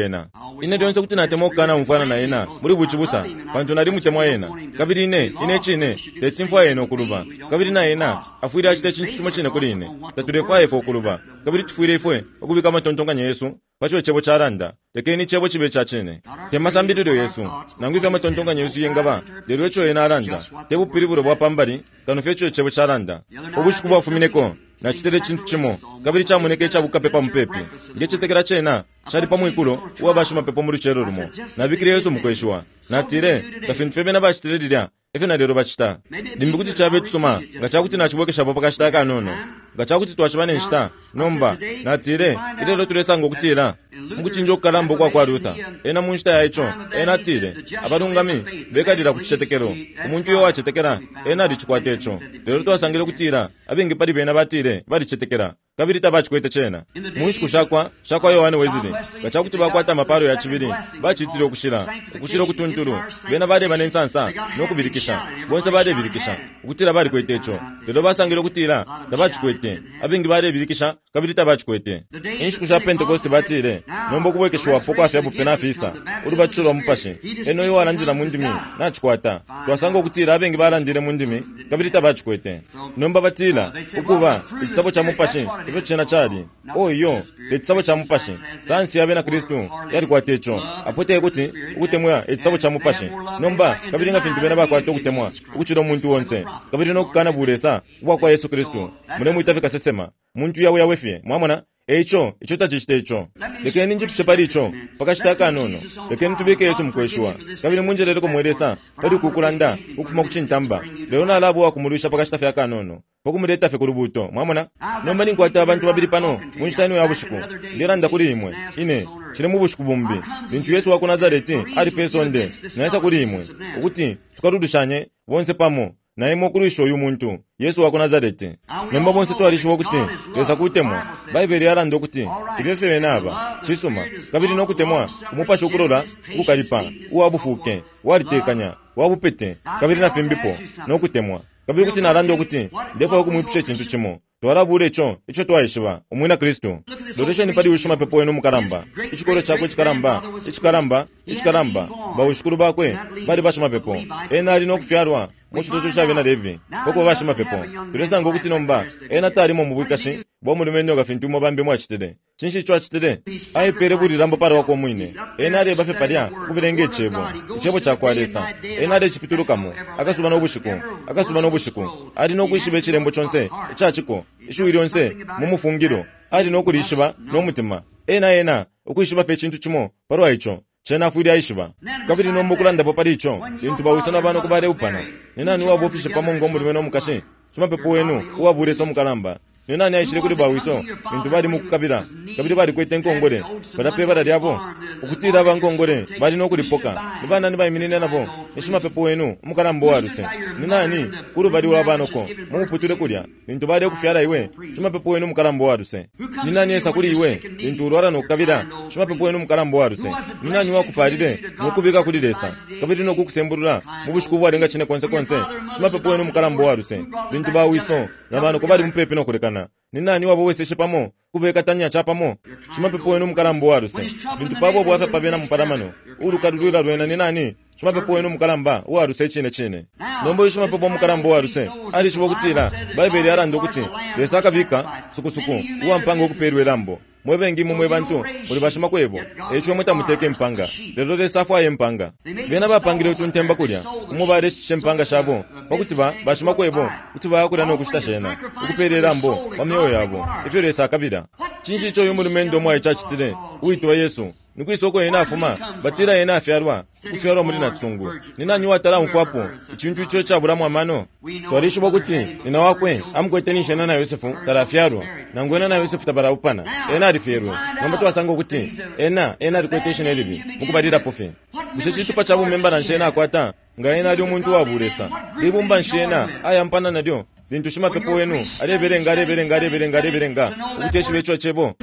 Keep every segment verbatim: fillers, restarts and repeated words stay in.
pali ena. Ine lyonse kuti natemwa ukukana umfwana na ena muli bucibusa, pantu nalimutemwa ena. Kabili ine, ine icine teti mfwaye ena ukuluba, kabili na ena afwile acita icintu cimo cine kuli ine. Tatulefwaya ifwe ukuluba, kabili tufwile ifwe ukubika amatontonkanyo yesu paco Icebo calanda. Lekeni Icebo cibe ica cine. Te masambililo yesu, nangu ifyo amatontonkanyo yesu yengaba, lelo ico ena alanda, te bupilibulo bwa pambali, kano fye ico Icebo calanda. Ubushiku bwafumineko, nacitile icintu cimo, kabili camoneke icabukapepa mupepi. Ngecetekela cena cali pa mwikulo uwa bashimapepo mu lucelo lumo. Nabikile Yesu mukweshiwa. Natile, nga fintu fye bena bacitile lilya, efyo na lelo bacita. Limbi kuti cabe tusuma, nga cakuti nacibwekeshapo pa kashita akanono. Nga cakuti twaciba ne nshita, nomba, natile, ilelo tulesanga ukutila, mukucinja ukukalamba ukwa kwa Luther, ena mu nshita ya ico, ena atile, abalungami bekalila ku cicetekelo. Umuntu uyo wacetekela, ena alicikwata ico. Lelo twasangile ukutila, abengi pali bena batile, balicetekela, kabili tabacikwete cena. Mu nshiku shakwa, shakwa Yohane Wesley, nga cakuti bakwata amapalo ya cibili, bacitile ukushila, ukushila ukutuntulu, bena baleba ne nsansa no kubilikisha. Bonse balebilikisha ukutila balikwete ico, lelo basangile ukutila tabacikwete. Abengi balebilikisha kabili tabacikwete. Inshiku sha Pentecost batile, nomba ukubwekeshiwapo kwa fya bupe nafisa, ulubatisho lwa Mupashi, ena uyo walandila mu ndimi nacikwata. Twasanga ukutila abengi balandile mu ndimi kabili tabacikwete. Nomba batila ukuba icisabo ca Mupashi, ifyo cena cali. O iyo, te cisabo ca Mupashi. Sayansi ya bena Kristu yalikwata ico. Apo te kuti ukutemwa icisabo ca Mupashi. Nomba kabili nga fintu bena bakwata ukutemwa ukucila umuntu onse, kabili no kukana bulesa ubwa kwa Yesu Kristu, mulemwita fye kasesema, muntu yawe yawe fye, mwamona? Eico, ico tacicita ico. Lekeni njipushe pali ico, pakashita akanono. Lekeni tubike Yesu mukweshiwa. Kabili munjeleleko mwe Lesa, pali ukukulanda, ukufuma ku cintamba. Lelo nalabo wakumulwisha pakashita fye akanono, pakumuleta fye ku lubuto, mwamona? Nomba ninkwata abantu babili pano, mu nshita ino ya bushiku. Ndelanda kuli imwe, ine, cile mu bushiku bumbi, lintu Yesu wa ku Nazareti ali pe sonde, naisa kuli imwe, ukuti tukalulushanye bonse pamo, na imwe ukulwisha uyu muntu, Yesu wa ku Nazareti. Nomba bonse twalishiba ukuti Lesa kutemwa. Baibele yalanda ukuti ifyo fye bena aba, cisuma, kabili no kutemwa, umupashi ukulola, ukukalipa, uwa bufuke, walitekanya, wa bupete, kabili na fimbipo, no kutemwa. Kabili kuti nalanda ukuti ndefwaya ukumwipusha icintu cimo. Twalabula ico, ico twaishiba, umwina Kristu. Lolesheni pali uyu shimapepo wenu umukalamba, icikolo cakwe icikalamba, icikalamba, icikalamba, bawishikulu bakwe bali bashimapepo. Ena ali no kufyalwa mu citutu ca bena Levi, pakuba bashimapepo. Tulesanga ukuti nomba ena talimo mu bwikashi bwa mulumendo nga fintu imwe bambi mwacitile. Cinshi ico acitile? Aipele bulilambo pali wakwe umwine. Ena aleba fye palya ukubelenga Icebo, Icebo ca kwa Lesa. Ena alecipitulukamo akasuba no bushiku, akasuba no bushiku. Ali no kwishiba icilembo conse ica ciko, ishiwi lyonse mu mufungilo. Ali no kulishiba no mutima. Ena ena ukwishiba fye icintu cimo palwa ico, cena afwile aishiba. Kabili nomba ukulandapo pali ico, lintu bawiso na banoko baleupana, ni nani uwabofishe pamo ngo mulume no mukashi? Shimapepo wenu uwabulesa umukalamba. Ni nani aishile kuli bawiso lintu bali mukukabila, kabili balikwete inkongole palya pe bala lyabo? Ukutila aba nkongole bali no kulipoka, ni banani baiminine nabo? Ni shimapepo wenu umukalamba uwa luse. Ni nani kulubali lwa banoko mu muputule kulya lintu balekufyala iwe? Shimapepo wenu umukalamba uwa luse. Ni nani esa kuli iwe lintu ulwala no kukabila? Shimapepo wenu umukalamba uwa luse. Ni nani wakupalile no kubika kuli Lesa, kabili no kukusembulula mu bushiku ubwalenga cine konse konse? Shimapepo wenu umukalamba uwa luse. Lintu bawiso na banoko bali mupepi no kulekana, ni nani waboweseshe pamo kubekatanya ca pamo? Shimapepo wenu umukalamba uwa luse. Lintu pabo bwafya pa bena mupalamano, ulukalulwila lwena ni nani? Shimapepo wenu umukalamba uwa luse icine cine. Nomba uyu shimapepo umukalamba uwa luse alishiba ukutila Baibele yalanda ukuti Lesa akabika sukusuku uwa mpanga ukupeelwa ilambo. Mwe bengi imwe mwe bantu muli bashimakwebo, eico imwe tamuteka impanga, lelo Lesa afwaya impanga. Bena bapangile utuntemba kulya umo baleshitisha impanga shabo pakuti ba bashimakwebo kuti baya kulya no kushita shena, ukupeela ilambo pa myeo yabo, ifyo Lesa akabila. Cinshi ico uyu mulumendo umwaice acitile, uwitwa Yesu? Ni kwisa uko ena afuma? Batila ena afyalwa, ukufyalwa muli nacisungu. Ni nani uwatala amfwapo icintu ico icabulamo amano? Twalishiba ukuti nina wakwe amukwete ninshi ena na Yosefu talafyalwa, nangu ena na Yosefu tabalaupana, ena alifyelwe. Nomba twasanga ukuti ena ena alikwete ishina ilibi mukubalilapo fye. Bushe citupa ca bumembala nshi ena akwata nga ena ali umuntu wa bulesa? Libumba nshi ena ayampana nalyo lintu shimapepo wenu alebelenga alebelenga alebelenga alebelenga ukuti eshibe ico cebo?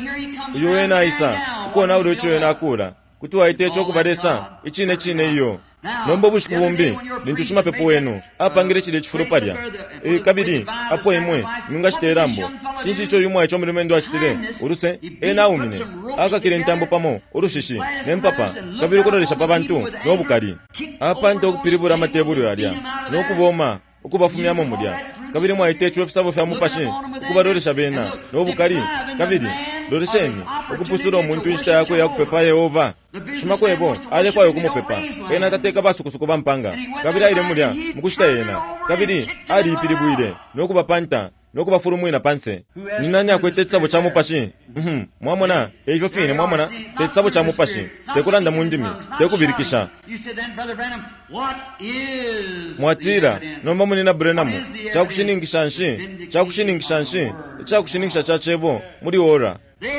Uyo ena aisa ukonaula ico ena akula, kuti waita ico kuba Lesa icine cine iyo. Nomba ubushiku bumbi lintu shimapepo wenu apangile cilya icifulo palya, e, kabili apo imwe mwingacita ilambo, cinshi ico uyu mwaice umulumendo acitile? Uluse ena aumine, akakile intambo pamo ulushishi ne mpapa, kabili ukulolesha pa bantu no bukali. Apanta ukupilibula amatebulu yalya no kuboma ukubafumyamo mulya. Kabili mwaita ico ifisabo fya mupashi, ukubalolesha bena no bukali. Kabili lolesheni, ukupusula umuntu inshita yakwe ya kupepa Yehova. Shimakwebo alefwaya ukumupepa ena, tateka basukusuku ba mpanga. Kabili aile mulya mukushita yena, kabili aliipilibwile no kubapanta no kubafulumwina panse. Ni nani akwete icisabo ca mupashi? Mhm, mwamona, eifyo fine, mwamona, te cisabo ca mupashi, te kulanda mu ndimi, te kubirikisha. You said then, Brother Branham, what is Mwatila, the evidence? nomba munina Branham, cakushininkisha nshi, cakushininkisha nshi, icakushininkisha ca cebo muli ora.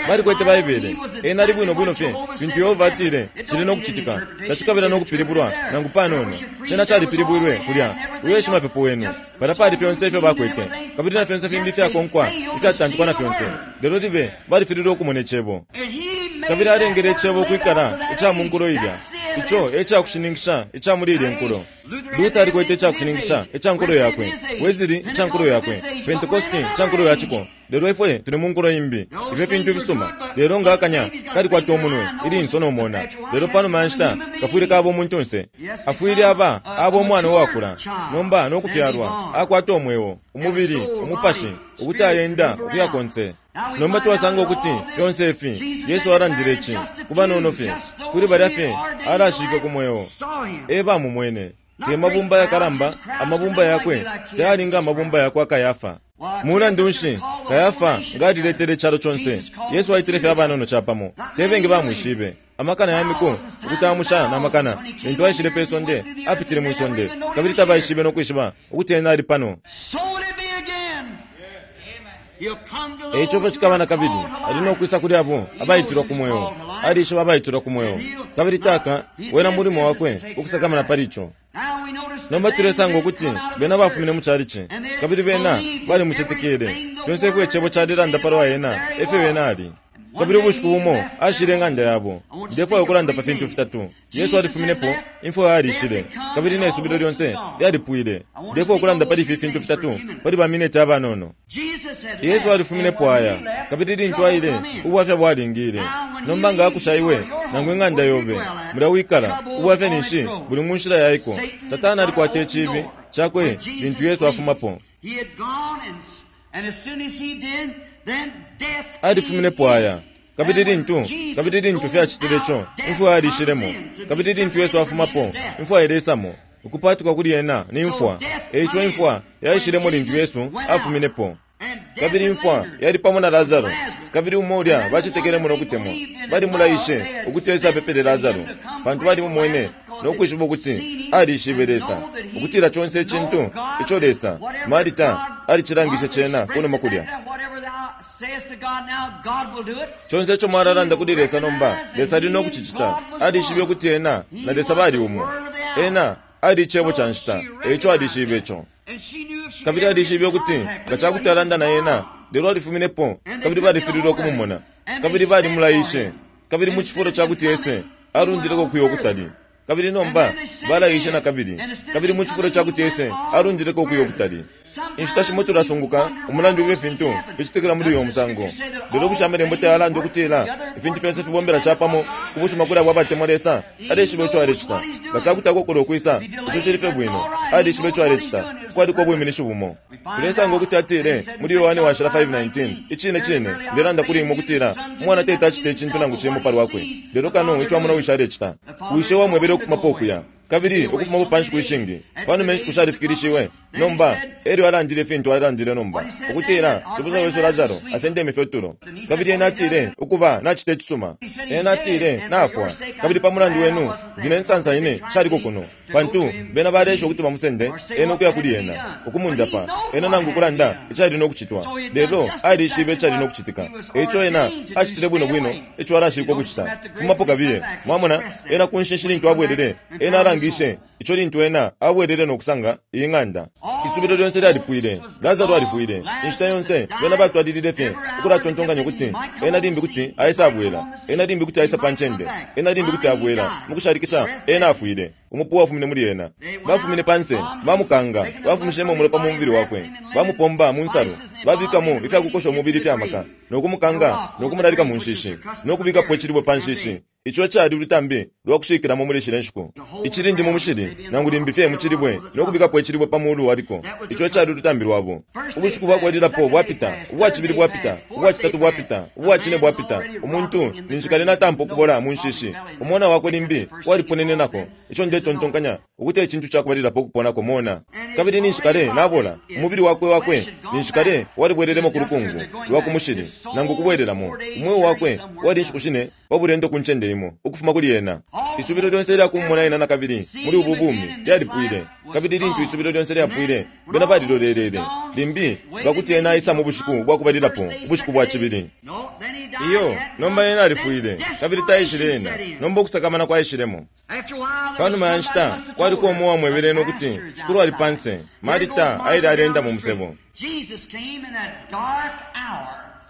Balikwete Baibele, ena ali bwino bwino fye fintu Yehova atile cili no kucitika. Tacikabila no kupilibulwa nangu panono, cena calipilibwilwe kulya. Uyo shimapepo wenu palya pali fyonse ifyo bakwete, kabili na fyonse fimbi ifyakonkwa ifyatantikwa na fyonse, lelo libe balifililwe ukumona icebo. And he made Kabili that alengele word icebo live ukwikala out to that ica mu age. nkulo ilya. That's the Ico evidence. e cakushininkisha ica muli ilya nkulo. Luther alikwete icakushininkisha ica nkulo yakwe, Wesley ica nkulo yakwe, Pentecost ica nkulo ya ciko. Lelo ifwe tuli mu nkulo imbi. Ifyo fintu ifisuma, lelo nga akanya kalikwata umunwe, ilinso no mona. Lelo panuma ya nshita kafwile kaba umuntunse, afwile aba aba umwana uwakula nomba no kufyalwa, akwata umweo, umubili, umupashi, ukuti ayenda ukuya konse. Nomba twasanga ukuti fyonse ifi Yesu alandile ici ku banono fye, kuli balya fye alashike ku mweo e bamumwene. Te mabumba yakalamba, amabumba yakwe tayali nga amabumba yakwa Kayafa. Mulandu nshi Kayafa nga aliletele icalo conse? Yesu aitile fye abanono capamo, te bengi bamwishibe. Amakana ya miku ukutamusha na makana lintu aishile pe sonde, apitile mwi sonde, kabili tabaishibe no kwishiba ukuti ena ali pano. So will it be again. He'll come to Eico those fyo who cikaba na are kabili, called to ali no life. kwisa kuli abo abayitilwa ku mweo. Alishiba abayitilwa ku mweo, kabili taka wena mulimo wakwe ukusakamana pali ico. Now we notice Nomba that tulesanga they ukuti come out of bena the bafumine mu church. calici, kabili bena balimucetekele. Fyonse ifyo icebo calilanda palwa ena, efyo ena ali. Kabili ubushiku bumo ashile ing'anda yabo. Ndefwaya ukulanda pa fintu fitatu. Yesu alifuminepo, imfwa yalishile, kabili ne subilo lyonse lyalipwile. Ndefwaya ukulanda pali ifi fintu fitatu pali ba mineti abanono. Jesus had Yesu left, alifuminepo and when aya, he left, kabili lintu trouble aile, come in. ubwafya bwalingile. Nomba nga akusha iwe nangu ing'anda yobe mulya wikala, ubwafya ninshi buli mu nshila yaiko. Satana alikwata icibi cakwe lintu Yesu afumapo. He had gone, and, and as soon as he did, then death Alifuminepo came in. aya, kabili lintu kabili lintu fyacitile ico, imfwa yalishilemo. Kabili lintu Yesu afumapo, imfwa ilesamo. Ukupatukwa kuli ena ni mfwa. Eico imfwa yaishilemo lintu Yesu afuminepo. Kabili imfwa yali pamo na Lazaro, kabili umo ulya bacetekelemo no kutemwa balimulaishe ukuti Yesu apepele Lazaro, pantu balimumwene no kwishiba ukuti alishibe Lesa, ukutila conse icintu ico Lesa Marita alicilangishe cena kunuma kulya. Whatever thou sayest to God now, God will do it. Conse ico mwalalanda kuli Lesa nomba, Lesa ali no kucicita. Alishibe ukuti ena na Lesa bali umo. Ena ali icebo ca nshita, eico alishibe ico. And she knew if she Kabili ever alishibe get in ukuti contact nga with ca kuti him, alanda na ena, lelo alifuminepo, kabili balifililwe ukumumona, kabili balimulaishe. Kabili mu cifulo ca kuti ese alundileko kuya ukutali, kabili nomba balaishe na kabili, kabili mu cifulo ca kuti ese alundileko kuya ukutali. Inshita shimo tulasunguka umulandu ifi fintu ficitikila muli uyo musango. Lelo bushe amalembo tayalanda ukutila ifintu fyonse fibombela capamo ku busuma kuli abo abatemwa Lesa? Alishiba ico alecita. Nga ca kuti akokola ukwisa, ico cili fye bwino. Alishiba ico alecita. Kwaliko ubwiminishi bumo. Tulesanga ukuti atile muli Yohane washila five nineteen, icine cine ndelanda kuli imwe ukutila umwana tete acita icintu nangu cimo palwakwe, lelo kano ico amona wishe alecita. Wishe wamwebele ukufumapo ukuya, kabili ukufumapo pa nshiku ishingi panuma inshiku shalifikilishiwe. Nomba elyo alandile ifintu alandile nomba ukutila cibusa wesu Lazaro asendeme fye utulo. Kabili ena atile ukuba nacita icisuma. Ena atile nafwa, kabili pa mulandu wenu ndi ne nsansa ine shaliko kuno, pantu bena balesha ukuti bamusende ena ukuya kuli ena ukumundapa ena nangu kulanda icali no kucitwa. Lelo alishibe icali no kucitika, eico ena acitile bwino bwino ico alashikwa ukucita. Fumapo kabiye. Mwamona, ena ku nshinshi lintu abwelele, ena alangishe ico lintu ena abwelele no kusanga iyi ng'anda. Isubilo lyonse lyalipwile. Lazaro alifwile. Inshita yonse bena batwalilile fye ukulatontonkanya ukuti ena limbi kuti aisa abwela, ena limbi kuti aisa pa ncende, ena limbi kuti abwela. Mukushalikisha ena afwile. Umupu wafumine muli ena. Bafumine panse, bamukanga, bafumishemo umulopa mu mubili wakwe, bamupomba mu nsalu, babikamo ifyakukosha umubili ifya maka, no kumukanga no kumulalika mu nshishi, no kubikapo icilibwe pa nshishi. Ico cali ulutambi lwa kushikilamo muli shile nshiku. Icilindi mu mushili, nangu limbi fye mu cilibwe, no kubikapo icilibwe pa mulu waliko. Ico ecali ulutambi lwabo. Ubushiku bwakubalilapo bwapita, ubwa cibili bwapita, ubwa citatu bwapita, ubwa cine bwapita. Umuntu ninshi kale natampa ukubola mu nshishi. Umona wakwe limbi waliponenenako. Ico ndetontonkanya ukuti ecintu cakubalilapo ukuponako mona. Kabili ninshi kale nabola, umubili wakwe wakwe ninshi kale walibwelelemo ku lukungu lwa ku mushili, nangu kubwelelamo. Umweo wakwe wali inshiku shine pa bulendo ku ncende imo ukufuma kuli ena. Isubilo lyonse lya kumumona ena nakabili muli ubu bumi lyalipwile. Kabili lintu isubilo lyonse lyapwile, bena balilolelele limbi ngakuti ena aisa mu bushiku bwakubalilapo, ubushiku bwa cibili. Iyo, nomba ena alifwile, kabili taishile ena. Nomba ukusakamana kwaishilemo. Panuma ya nshita, kwaliko umo uwamwebele ena ukuti Shikulu ali panse. Marita aile alenda mu musebo.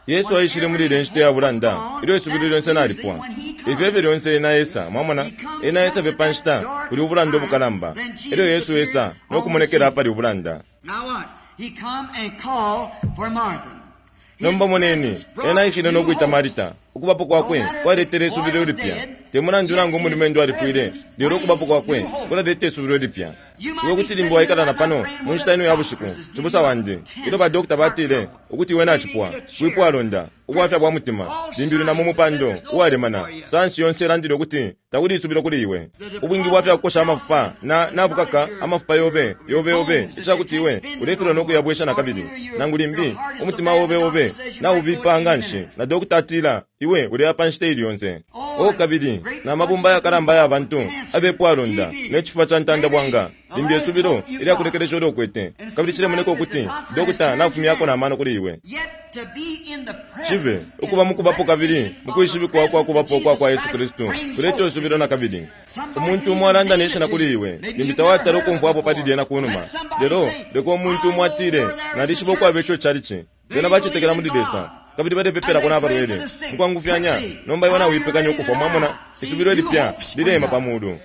Yesu aishile muli ile nshita ya bulanda, ilyo isubilo lyonse nalipwa. Ifyo efyo lyonse ena esa, mwamona, ena esa fye pa nshita kuli ubulanda ubukalamba. Elyo Yesu esa no kumonekela apali ubulanda. Nomba moneni, ena aishile no kwita Marita. Ukubapo kwakwe kwaletele isubilo lipya. Te mulandu nangu umulumendo alifwile, lelo ukubapo kwakwe kulaleta isubilo lipya. Iwe kuti limbi waikala na pano mu nshita ino ya bushiku, cibusa wandi, ilyo ba dokota batile ukuti iwe nacipwa, kwipwalonda, ubwafya bwa mutima, limbi uli na mu mupando uwalemana. Sayansi yonse ilandile ukuti takuli isubilo kuli iwe. Ubwingi bwafya kukosha amafupa na nabukaka amafupa yobe yobe yobe icakuti iwe ulefilwa no kuyabwesha nakabili. Nangu limbi umutima obe obe naubipa nganshi, na dokota atila iwe uleya pa nshita ili yonse. O kabili na mabumba yakalamba ya bantu abepwalonda ne cifuba ca ntanda bwanga, limbi isubilo ilyakulekelesha uliokwete, kabili cilemoneka ukuti dokota nafumyako na mano kuli iwe. Cibe ukuba mukubapo kabili mukwishibikwa kwa kubapo kwa kwa Yesu Kristu kuleta isubilo nakabili. Umuntu umo alanda ne shina kuli iwe, limbi tawatala ukumfwapo pali lyena kunuma. Lelo leka umuntu umo atile, nalishiba ukwaba ico calici, bena bacetekela muli Lesa, kabili balepepelako n'abalwele mukwangufyanya. Nomba iwe nawipekanya ukufwa, mwamona, isubilo lipya lilema pa mulu.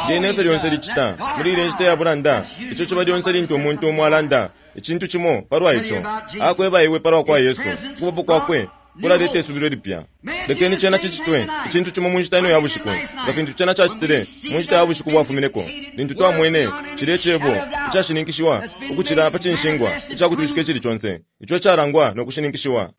Lyena efyo lyonse licita muli ile nshita ya bulanda. Ico ciba lyonse lintu umuntu umo alanda icintu cimo palwa ico, akweba iwe palwa kwa Yesu, ukubapo kwakwe kulaleta isubilo lipya. Lekeni cena cicitwe icintu cimo mu nshita ino ya bushiku, nga fintu cena cacitile mu nshita ya bushiku bwafumineko, lintu twamwene cilya cebo icashininkishiwa ukucila pa cinshingwa icakutwishika icili conse, ico calangwa no kushininkishiwa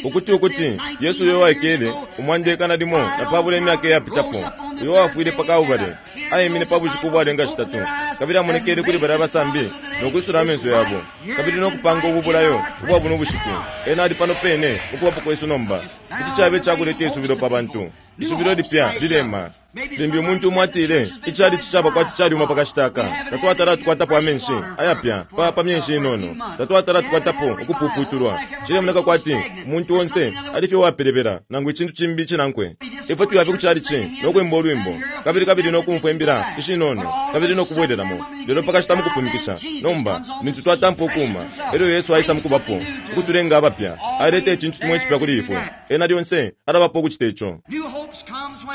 ukuti ukuti Yesu uyo waikele umwanda ikana limo na pabula imyaka iyapitapo, uyo wafwile pa Kalbale, aimine pa bushiku ubwalenga shitatu, kabili amonekele kuli balya abasambi no kwisula amenso yabo, kabili no kupanga ubu bulayo ubwa buno bushiku. Ena ali pano pene ukubapo kwesu nomba. Kuti cabe cakuleta isubilo pa bantu. Isubilo lipya lilema. Limbi umuntu umo atile, icalici caba kwati caliuma pakashita aka, tatwatala tukwatapo amenshi ayapya pa pa myenshi inono, tatwatala tukwatapo ukupuputulwa. Cilemoneka kwati umuntu onse ali fye uwapelebela nangu icintu cimbi cinankwe. Ifwe tuyafe ku calici no kwimba ulwimbo, kabili kabili no kumfwa imbila ishinono, kabili no kubwelelamo. Lelo pakashita mukupumikisha, nomba lintu twatampa ukuuma, elyo Yesu aisa mukubapo ukutulenga abapya, aleta icintu cimo icipya kuli ifwe. Ena lyonse alabapo ukucita ico.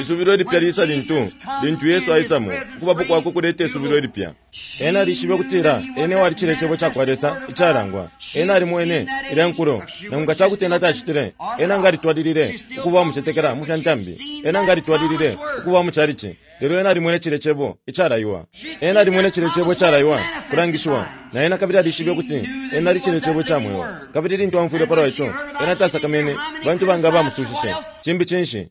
Isubilo lipya lisa lintu lintu Yesu aisamo, ukubapo kwakwe kuleta isubilo lipya. Ena alishibe ukutila ena walicile icebo cakwa Lesa icalangwa. Ena alimwene ilya nkulo, nangu nga cakuti ena tacitile, ena nga alitwalilile ukuba umucetekela mu fya ntambi, ena nga alitwalilile ukuba mu calici. Lelo ena alimwene cile cebo icalaiwa. Ena alimwene cile cebo icalaiwa kulangishiwa, na ena kabili alishibe ukuti ena alicile cebo ca mweo. Kabili lintu amfwile palwa ico, ena tasakamene bantu banga bamusushishe. Cimbi cinshi?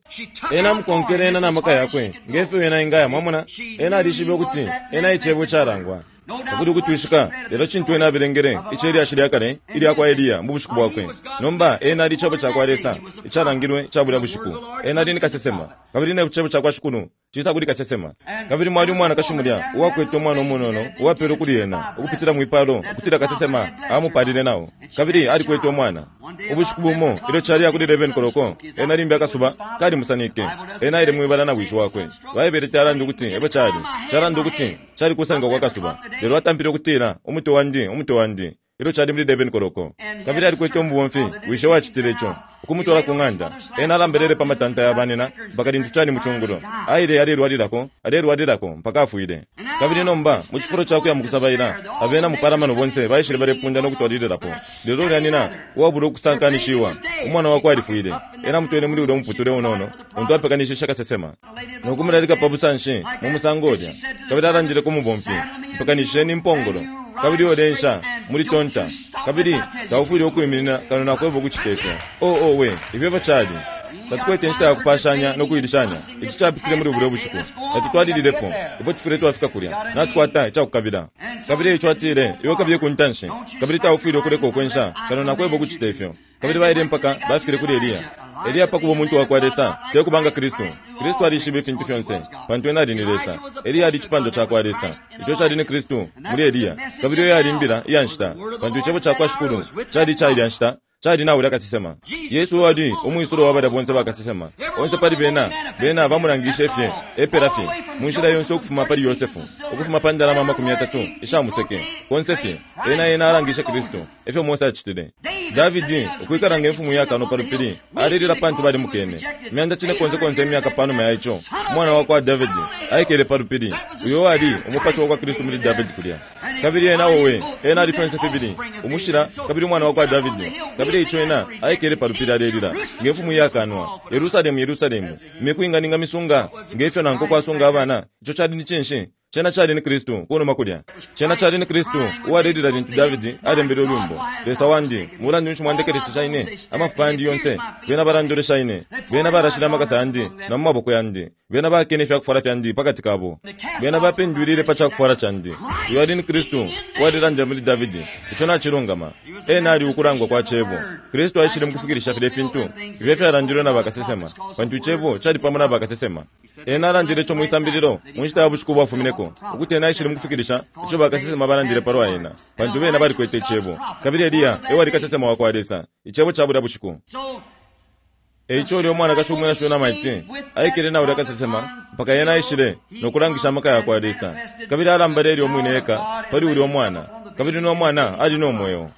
Ena amukonkele ena na maka yakwe ngefyo ena ingaya, mwamona. Ena alishibe ukuti ena icebo icalangwa. Takuli ukutwishika, lelo cintu ena abelengele ice lyashi lya kale ilya kwa Eliya mu bushiku bwakwe. Nomba ena ali icebo cakwa Lesa icalangilwe ca bulya bushiku. Ena ali ni kasesema, kabili ne cebo cakwa Shikulu cisa kuli kasesema. Kabili mwali umwanakashi mulya uwakwete umwana umunono uwapelwe kuli ena ukupitila mwipalo, ukutila kasesema amupalile nao, kabili alikwete umwana. Ubushiku bumo ilyo cali kuli eleven koloko, ena limbi akasuba kalimusanike. Ena aile mwibala na wishi wakwe. Baibele calanda ukuti ebo cali calanda ukuti cali kusanika kwa kasuba, lelo atampile ukutila, umutwe wandi, umutwe wandi. Ilyo cali muli eleven koloko. Kabili alikwete umubomfi, wishe wacitile ico, ukumutwala ku ng'anda. Ena alambelele pa matanta ya banina mpaka lintu cali mucungulo. Aile alelwalilako, alelwalilako mpaka afwile. Kabili nomba mu cifulo ca kuya mukusabaila, abena mupalamano bonse baishile balepunda no kutwalililapo. Lelo ulya nina uwabula ukusankanishiwa, umwana wakwe alifwile. Ena amutwele muli ulya muputule unono untu apekanishishe kasesema, no kumulalika pa busanshi mu musango ulya. Kabili alandile ku mubomfi, "Mpekanisheni impongolo, kabili olensha muli tonta, kabili taufwile ukwiminina kano nakweba ukucita ifyo." Oh, oh, we ifyo efyo cali. Tatukwete inshita ya kupashanya no kuilishanya. Ici capitile muli bulya bushiku. Tatutwalililepo. Ifwe tufwile twafika kulya. Natukwata icakukabila. Kabili eico atile, "Iwe kabiye ku ntanshi, kabili taufwile ukuleka ukwensha kano nakweba ukucita ifyo." Kabili baile mpaka bafikile kuli Eliya. Eliya pakuba umuntu wakwa Lesa, te kubanga Kristu. Kristu alishiba ifintu fyonse, pantu ena ali ni Lesa. Eliya ali icipando cakwa Lesa, ico cali ni Kristu muli Eliya. Kabili uyo yali imbila iya nshita, pantu icebo cakwa Shikulu cali ica ilya nshita, cali na ulya kasesema. Yesu ali umwisulo wa balya bonse bakasesema. Onse pali bena, bena bamulangishe fye, epela fye, mu nshila yonse ukufuma pali Yosefu, ukufuma pa ndalama amakumi yatatu isha museke, konse fye, ena ena alangishe Kristu, efyo Mose acitile. Davidi, ukwikala nge mfumu yakano pa lupili, alilila pantu balimukene. Imyanda cine konse konse imyaka panuma ya ico, umwana wa kwa Davidi aikele pa lupili, uyo ali umupashi wa kwa Kristu muli Davidi kulya. Kabili ena owe, ena ali fyonse fibili, umushila kabili umwana wa kwa Davidi. Kabili ico ena aikele pa lupili alelila nge mfumu yakanwa, "Yerusalemu, Yerusalemu, imiku inganinga misunga ngefyo nanko kwasunga abana." Ico cali ni cinshi? Cena cali ni Kristu kunuma kulya. Cena cali ni Kristu uwalelila lintu Davidi alembele ulwimbo, "Lesa wandi, mulandu nshi mwandekelesha ine? Amafupa yandi yonse bena balandolesha ine, bena barashile amakasa yandi na mu maboko yandi, bena bakene ifyakufwala fyandi pakati kabo, bena bapendwilile pa cakufwala candi." Uyo ali ni Kristu uwalilandile muli Davidi. Ico nacilungama. Ena ali ukulangwa kwa cebo. Kristu aishile mukufikilisha filya fintu ifyo fyalandilwe na bakasesema, pantu icebo cali pamo na bakasesema. Ena alandile ico mwisambililo mu nshita ya bushiku bwafumineko, ukuti ena aishile mukufikilisha ico bakasesema balandile palwa ena, pantu bena balikwete icebo. Kabili Eliya ewali kasesema wa kwa Lesa, icebo ca bulya bushiku. Eico ulya umwanakashi umwina Shunamaiti aikele na ulya kasesema mpaka ena aishile no kulangisha amaka ya kwa Lesa. Kabili alambale elyo umwine eka pali ulya umwana, kabili no mwana ali no mweo.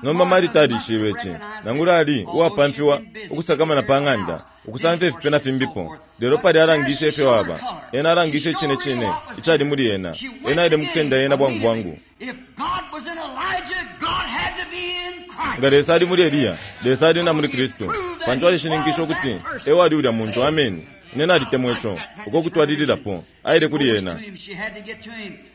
Nomba Marita alishibe ici, nangula ali uwapamfiwa ukusakamana pa ng'anda, ukusamfya ifipe na fimbipo. Lelo pali alangishe ifyo aba. Ena alangishe icine cine icali muli ena. Ena aile mukusenda ena bwangu bwangu. Nga Lesa ali muli Eliya, Lesa ali na muli Kristu, pantu alishininkisha ukuti ewali ulya muntu. Ameni. Ine nalitemwa ico, uko kutwalililapo. Aile kuli ena.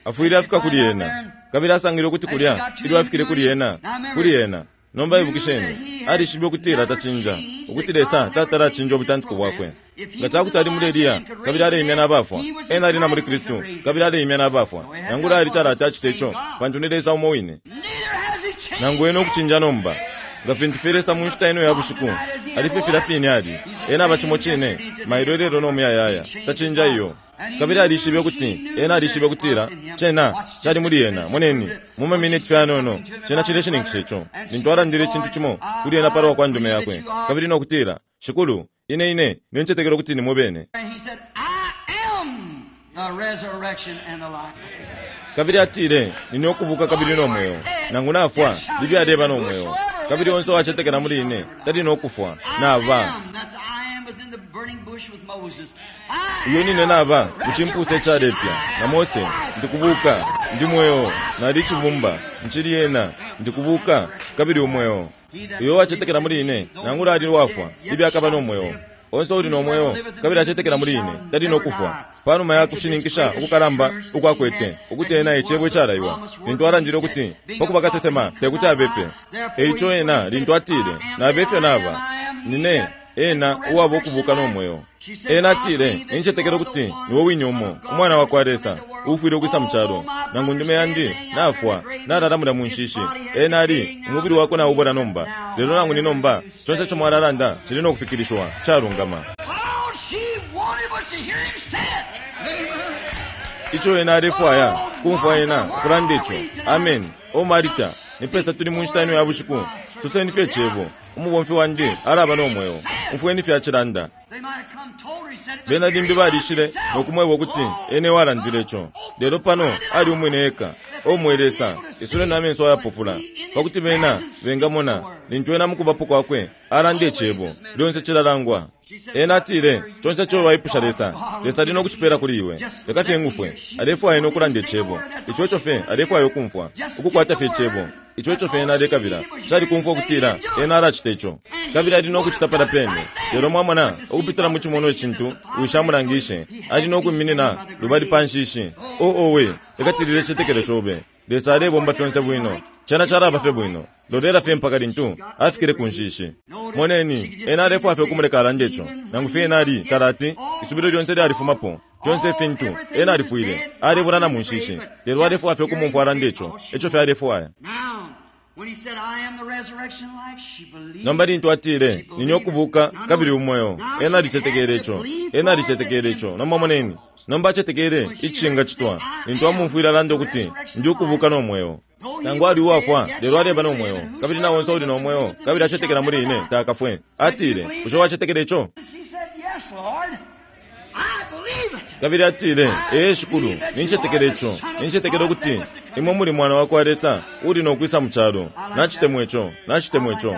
Afwile afika kuli ena. Kabili asangile ukuti kulya, ilyo afikile kuli ena, kuli ena. Nomba ibukisheni, alishibe ukutila tacinja, ukuti Lesa tatala acinja ubutantiko bwakwe. Nga cakuti ali muli Eliya, kabili aleimya n'abafwa, ena ali na muli Kristu, kabili aleimya n'abafwa. Nangula ali talata acite ico, pantu ni Lesa umo wine. Nangu ena ukucinja nomba, nga fintu fye Lesa mu nshita ino ya bushiku, ali fye filya fine ali. Ena aba cimo cine, mailo ilelo no muyayaya, tacinja iyo. Kabili alishibe ukuti, ena alishibe ukutila, cena cali muli ena. Moneni, mu maminiti fye anono, cena cileshininkisha ico. Lintu alandile icintu cimo kuli ena palwa kwa ndume yakwe, kabili no kutila, "Shikulu, ine ine nincetekela ukuti nimwe bene." Kabili atile, "Nine ukubuka kabili no mweo. Nangu nafwa, libi aleba no mweo. Kabili onse uwacetekela muli ine tali no kufwa. Naba uyo nine naba mucimpusa icalepya na Mose. Ndikubuka, ndi mweo, nali icibumba, ncili ena, ndikubuka kabili umweo. Uyo uwacetekela muli ine, nangula ali wafwa, libi akaba no mweo. Onse uli no mweo kabili acetekela muli ine tali no kufwa." Panuma ya kushininkisha ukukalamba ukwakwete ukuti ena icebo icalaiwa, lintu alandile ukuti pakuba kasesema tekuti abepe, eico ena lintu atile, "Naba ifyo naba, nine ena uwaba ukubuka no mweo." Ena atile, "Nincetekela ukuti niwe wine umo, umwana wa kwa Lesa, uufwile ukwisa mu calo. Nangu ndume yandi nafwa, nalala mulya mu nshishi. Ena ali umubili wakwe naubola nomba, lelo nangu ni nomba conse ico mwalalanda cili no kufikilishiwa calungama." Ico ena alefwaya kumfwa ena ukulanda ico. Amen. O Marita, Nipesa tuli mu nshita ino ya bushiku? Soseni fye Cebo. Umubomfi wandi alaba no mweo. Umfweni fye acilanda. They might have come told her he said it, but Bena limbi balishile nokumweba ukuti ene walandile ico. Lelo pano ali umwine eka. O mwe Lesa, isule na menso ayapofula, pakuti bena bengamona lintu ena mukubapo kwakwe alanda icebo lyonse cilalangwa. Ena atile, conse ico waipusha Lesa, Lesa ali nokucipela kuli iwe. Leka fye ngufwe, alefwaya ena ukulanda icebo. Ico eco fye alefwaya ukumfwa, ukukwata fye icebo. Ico eco fye ena alekabila, cali kumfwa ukutila ena alacita ico. Kabili ali nokucita pala pene. Lelo mwamona, ukupitila mu cimonwa icintu, wishamulangishe, ali nokwiminina lubali pa nshishi. O owe, lekatilile icicetekelo cobe. Lesa alebomba fyonse bwino. Cena calaba fye bwino. Lolela fye mpaka lintu afikile ku nshishi. Moneni, ena alefwaya fye ukumuleka alande ico. Nangu fye ena ali talati, isubilo lyonse lyalifumapo. Fyonse ifintu, ena alifwile, alebulana mu nshishi. Lelo alefwaya fye ukumumfwa alande ico. Ico fye alefwaya. Now, when he said, I am the resurrection and life, she believed. Nomba lintu atile, nine ukubuka kabili umweo, ena alicetekele ico. Ena alicetekele ico. Nomba moneni, nomba acetekele icingacitwa lintu amumfwile alanda ukuti ndi ukubuka no mweo. Nangu ali uwafwa, lelo aleba no mweo, kabili na onse uli no mweo, kabili acetekela muli ine takafwe. Atile, bushe wacetekele ico? She said, Yes, Lord. I believe it. Kabili atile, ee Shikulu, nincetekele ico. Nincetekele ukuti imwe muli mwana wa kwa Lesa uli nokwisa mu calo. Nacitemwa ico, nacitemwa ico.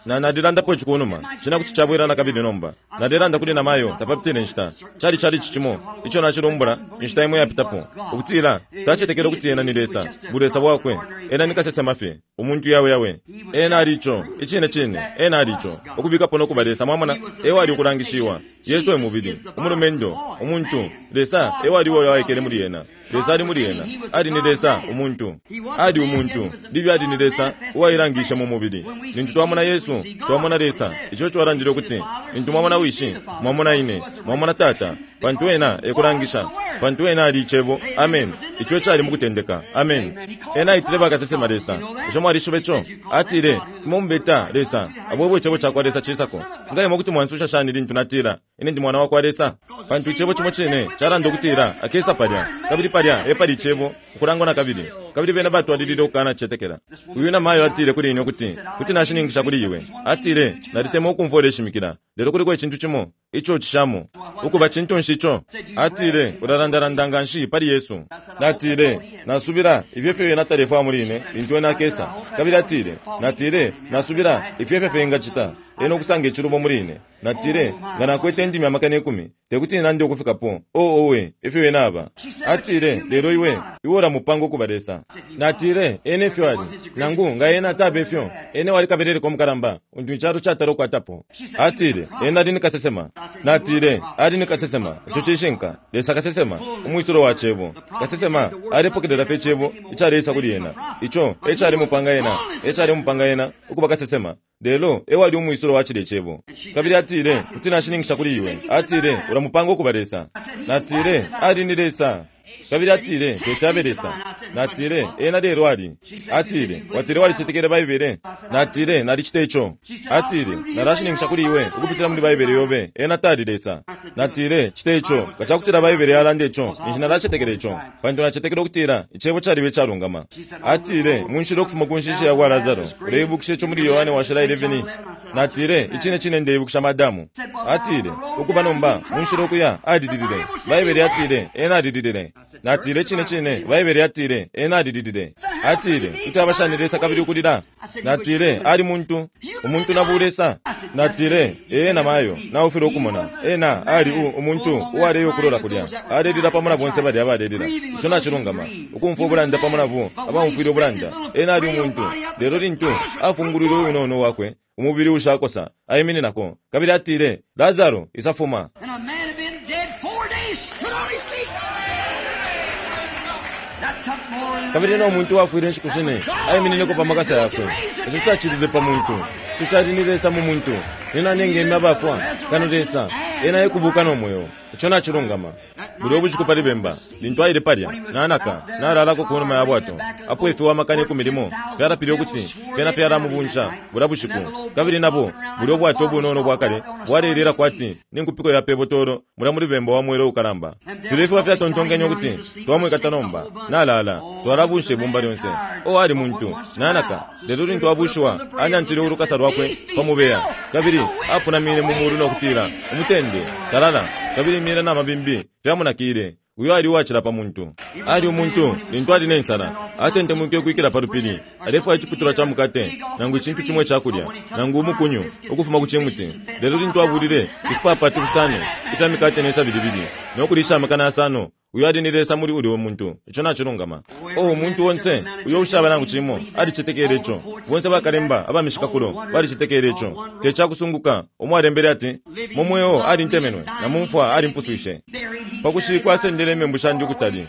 Na nalilandapo ici kunuma, cina kuti cabwela na kabili nomba. Nalilanda kuli namayo tapapitile nshita. Cali cali ici cimo, ico nacilumbula inshita imwe yapitapo. Ukutila, tacetekele ukuti ena ni Lesa, bulesa bwakwe. Ena ni kasesema fye, umuntu yawe yawe. Ena ali ico, icine cine, ena ali ico. Ukubikapo nokuba Lesa, mwamona, ewe ali ukulangishiwa. Yesu e mubili, umulumendo, umuntu, Lesa ewe ali uyo waikele muli ena. Lesa ali muli ena, ali ni Lesa, umuntu. Ali umuntu, libi ali ni Lesa, uwailangishe mu mubili. Lintu twamona Yesu, twamona Lesa. Ico eco alandile ukuti, lintu mwamona Wishi, mwamona ine, mwamona Tata, pantu ena ekulangisha, pantu ena ali icebo. Amen. Ico cali mukutendeka. Amen. Ena aitile bakasesema Lesa. Bushe mwalishiba ico? Atile, imwe mubeta Lesa, abwebwe icebo cakwa Lesa cisako. Nga imwe kuti mwansusha shani lintu natila, ine ndi mwana wa kwa Lesa? Pantu icebo cimo cine calanda ukutila akesa palya, kabili palya epali icebo ukulangwa na kabili. Kabili bena batwalilile ukukana cetekela. Uyu namayo atile kuli ine ukuti, kuti nashininkisha kuli iwe. Atile, nalitemwa ukumfwa uleshimikila, lelo kuliko icintu cimo ico cishamo. Ukuba cintu nshi ico? Atile, ulalandalanda nga nshi pali Yesu. Natile, nasubila ifyo fyo ena talefwaya muli ine lintu ena akesa. Kabili atile, natile, nasubila ifyo fyo fye engacita ena ukusanga icilubo muli ine. Natile, nga nakwete indimi amakana ikumi, tekuti nande ukufikapo. O owe, ifyo ena aba. Atile, lelo iwe, iwe ulamupanga ukuba Lesa. Natile, ena ifyo ali. Nangu nga ena ataba ifyo, ena wali kabeleleko mukalamba, untu icalo catala ukwatapo. Atile, ena ali ni kasesema. Natile, ali ni kasesema. Ico cishinka. Lesa kasesema, umwisulo wa cebo. Kasesema alepokelela fye icebo icaleisa kuli ena. Ico ecalemupanga ena, ecalemupanga ena ukuba kasesema. Lelo ewe ali umwisulo wa cile cebo. Kabili atile, kuti nashininkisha kuli iwe. Atile, ulamupanga ukuba Lesa. Natile, ali ni Lesa. Kabili atile, teti abe Lesa. Natile, ena lelo ali. Atile, watile walicetekele Baibele. Natile, nalicita ico. Atile, nalashininkisha kuli iwe ukupitila muli Baibele yobe, ena tali Lesa. Natile, cita ico. Nga cakutila Baibele yalanda ico, ninshi nalacetekela ico. Pantu nacetekela ukutila icebo caliba icalungama. Atile, munshila ukufuma ku nshishi ya kwa Lazaro, uleibukisha ico muli Yohane washila eleven. Natile, icine cine ndeibukisha madamu. Atile, ukuba nomba, munshila ukuya, alililile. Baibele yatile, ena alililile. Natile, cine cine, Baibele yatile, ena alililile. Atile, kuti abashani Lesa kabili ukulila. Natile, ali muntu, umuntu na bulesa. Natile, ee na mayo, naufile ukumona. Ena ali u umuntu uwaleyo ukulola kulya. Alelila pamo na bonse balya abalelila. Ico nacilungama. Ukumfwa ubulanda pamo nabo, abamfwile ubulanda. Ena ali umuntu. Lelo lintu afungulwile uwinono wakwe, umubili ushakosa, aimininako. Kabili atile, Lazaro, isafuma. And a man had been dead four days, stood on his feet. That took more than Kabili no muntu wafwile inshiku shine, aiminineko pa makasa yakwe. Ico cacilile pa muntu. Ico cali ni Lesa mu muntu. Ni nani engema abafwa? Kano Lesa. Ena ekubuka no mweo. Ico nacilungama. Bulya ubushiku pali bemba, lintu aile palya, nanaka, nalalako ku numa ya bwato. Apo ifiwa amakana ikumi limo fyalapile ukuti fyena fyalamubunja bulya bushiku. Kabili nabo, bulya ubwato ubunono bwa kale bwalelela kwati ni nkupiko ya pebotolo mulya muli bemba wa mwela ukalamba. Filya ifiwa fyatontonkenye ukuti twamwikata nomba, nalala, twalabunsha ibumba lyonse. O ali muntu, nanaka, lelo lintu abushiwa, anyantile ulukasa lwakwe pa mubeya. Kabili apunamine mu mulu no kutila, umutende, talala, kabili imyela na mabimbi fyamunakile. Uyo ali uwacila pa muntu. Ali umuntu lintu ali ne nsala, atentemwike ukwikila pa lupili, alefwaya iciputulwa ca mukate, nangu icintu cimo icakulya, nangu umukunyu ukufuma ku cimuti. Lelo lintu abulile ifipapatu fisano ifya mikate ne sabi libili, no kulisha amakana yasano, uyo ali ni Lesa muli ulya muntu. Ico nacilungama. O umuntu onse uyo ushaba nangu cimo alicetekele ico. Bonse bakalemba abamishikakulo balicetekele ico. Te cakusunguka umwalembele ati, mu mweo alintemenwe na mu mfwa alimpuswishe. Pakushikwa asendele imembu shandi ukutali.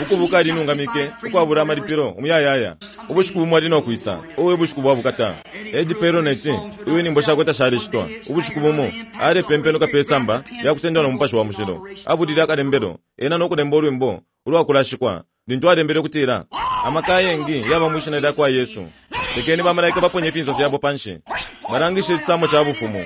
Ukubuka alinungamike ukwabula amalipilo umuyayaya. Ubushiku bumo ali no kwisa, uwe bushiku bwa bukata. Eddie Perronet, uyu nyimbo shakwe tashalishitwa. Ubushiku bumo alepempenuka pe samba lya kusendwa no Mupashi wa Mushilo. Abulile akalembelo, ena no kulemba ulwimbo ulwakulashikwa. Lintu alembele ukutila, amaka ayengi yaba mwi shina lya kwa Yesu. Lekeni bamalaika baponye ifinso fyabo panshi. Balangishe icisamo ca bufumu.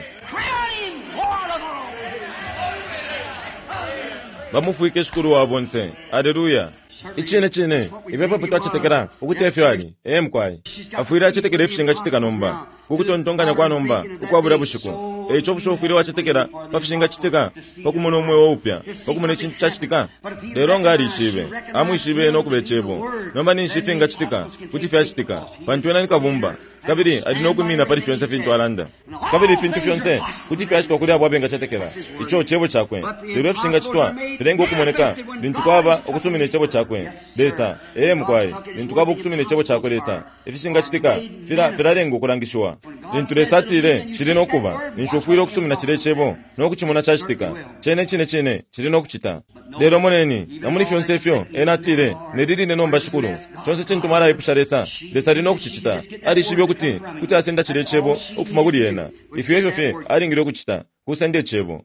Bamufwike Shikulu wa bonse. Aleluya. Icine cine, ifyo efyo twacetekela ukuti efyo ali. Ee mukwai. Afwile acetekela ifishingacitika nomba, ku kutontonkanya kwa nomba ukwa bulya bushiku. Eico bushe ufwile wacetekela pa fishingacitika, pa kumona umweo upya, pa kumona icintu cacitika? Lelo nga alishibe, amwishibe no kuba Icebo. Nomba ninshi ifingacitika kuti fyacitika, pantu ena ni kabumba, kabili ali no kwimina pali fyonse fintu alanda. Kabili ifintu fyonse kuti fyacitwa kuli abo abengacetekela ico Cebo cakwe. Lelo ifishingacitwa filenga ukumoneka lintu kwaba ukusumina Icebo cakwe Lesa. Ee mukwai, lintu kwaba ukusumina Icebo cakwe Lesa, ifishingacitika fila filalenga ukulangishiwa. Lintu Lesa atile cili no kuba, ninshi ufwile ukusumina cilya Icebo no kucimona cacitika. Cene cine cine cili no kucita. Lelo moneni, na muli fyonse ifyo ena atile, neli line nomba Shikulu, conse cintu mwalaipusha Lesa, Lesa ali no kucicita. Alishibe ukuti kuti asenda cilya Icebo ukufuma kuli ena. Ifyo efyo fye alingile ukucita, kusenda Icebo.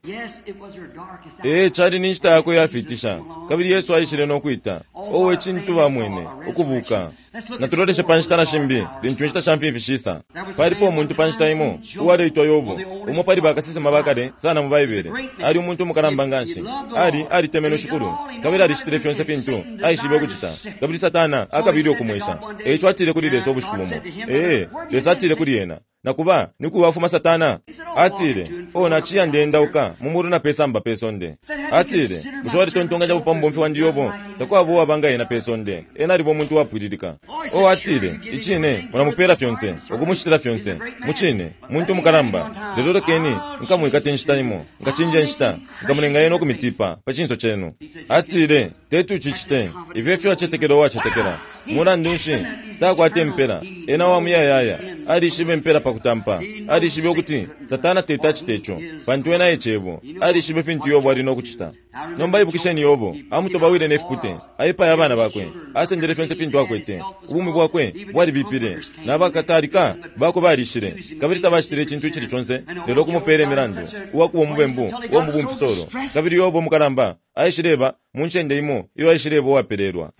Ee, cali ni nshita yakwe yafiitisha, kabili Yesu aishile no kwita. Owe cintu bamwene, ukubuka. Natuloleshe pa nshita na shimbi, lintu inshita sha mfimfi shisa. Palipo umuntu pa nshita imo uwaleitwa Yobo, umo pali bakasesema ba kale sana mu Baibele. Ali umuntu umukalamba nganshi. Ali alitemenwe Shikulu, kabili alicitile fyonse fintu aishibe ukucita. Kabili Satana akabile ukumwesha. Eico atile kuli Lesa ubushiku bumo. Ee, Lesa atile kuli ena, nakuba ni kuwafuma Satana. Atile, o naciya ndeendauka mu mulu na pe samba pe sonde. Atile, bushe walitontonkanya pa mubomfi wandi Yobo? Takwaba uwaba nga ena pe sonde. Ena aliba umuntu uwapwililika. O atile, icine mulamupela fyonse, ukumushitila fyonse. Mucine, muntu mukalamba. Lelo lekeni nkamwikate inshita imo, nkacinja inshita, nkamulenga ena ukumitipa pa cinso cenu. Atile, teti ucicite. Ifyo efyo acetekela uwacetekela. Mulandu nshi takwate impela? Ena wa muyayaya alishibe impela pa kutampa. Alishibe ukuti Satana teti acite ico, pantu ena e Cebo. Alishibe fintu Yobo ali no kucita. Nomba ibukisheni Yobo, amutobawile ne fipute, aipaya abana bakwe, asendele fyonse fintu akwete. Ubumi bwakwe bwalibipile, na bakatalika bakwe balishile, kabili tabacitile icintu icili conse lelo kumupeela imilandu uwakuba umubembu uwa mu bumfisolo. Kabili Yobo mukalamba aishileba mu ncende imo iyo aishileba uwapelelwa.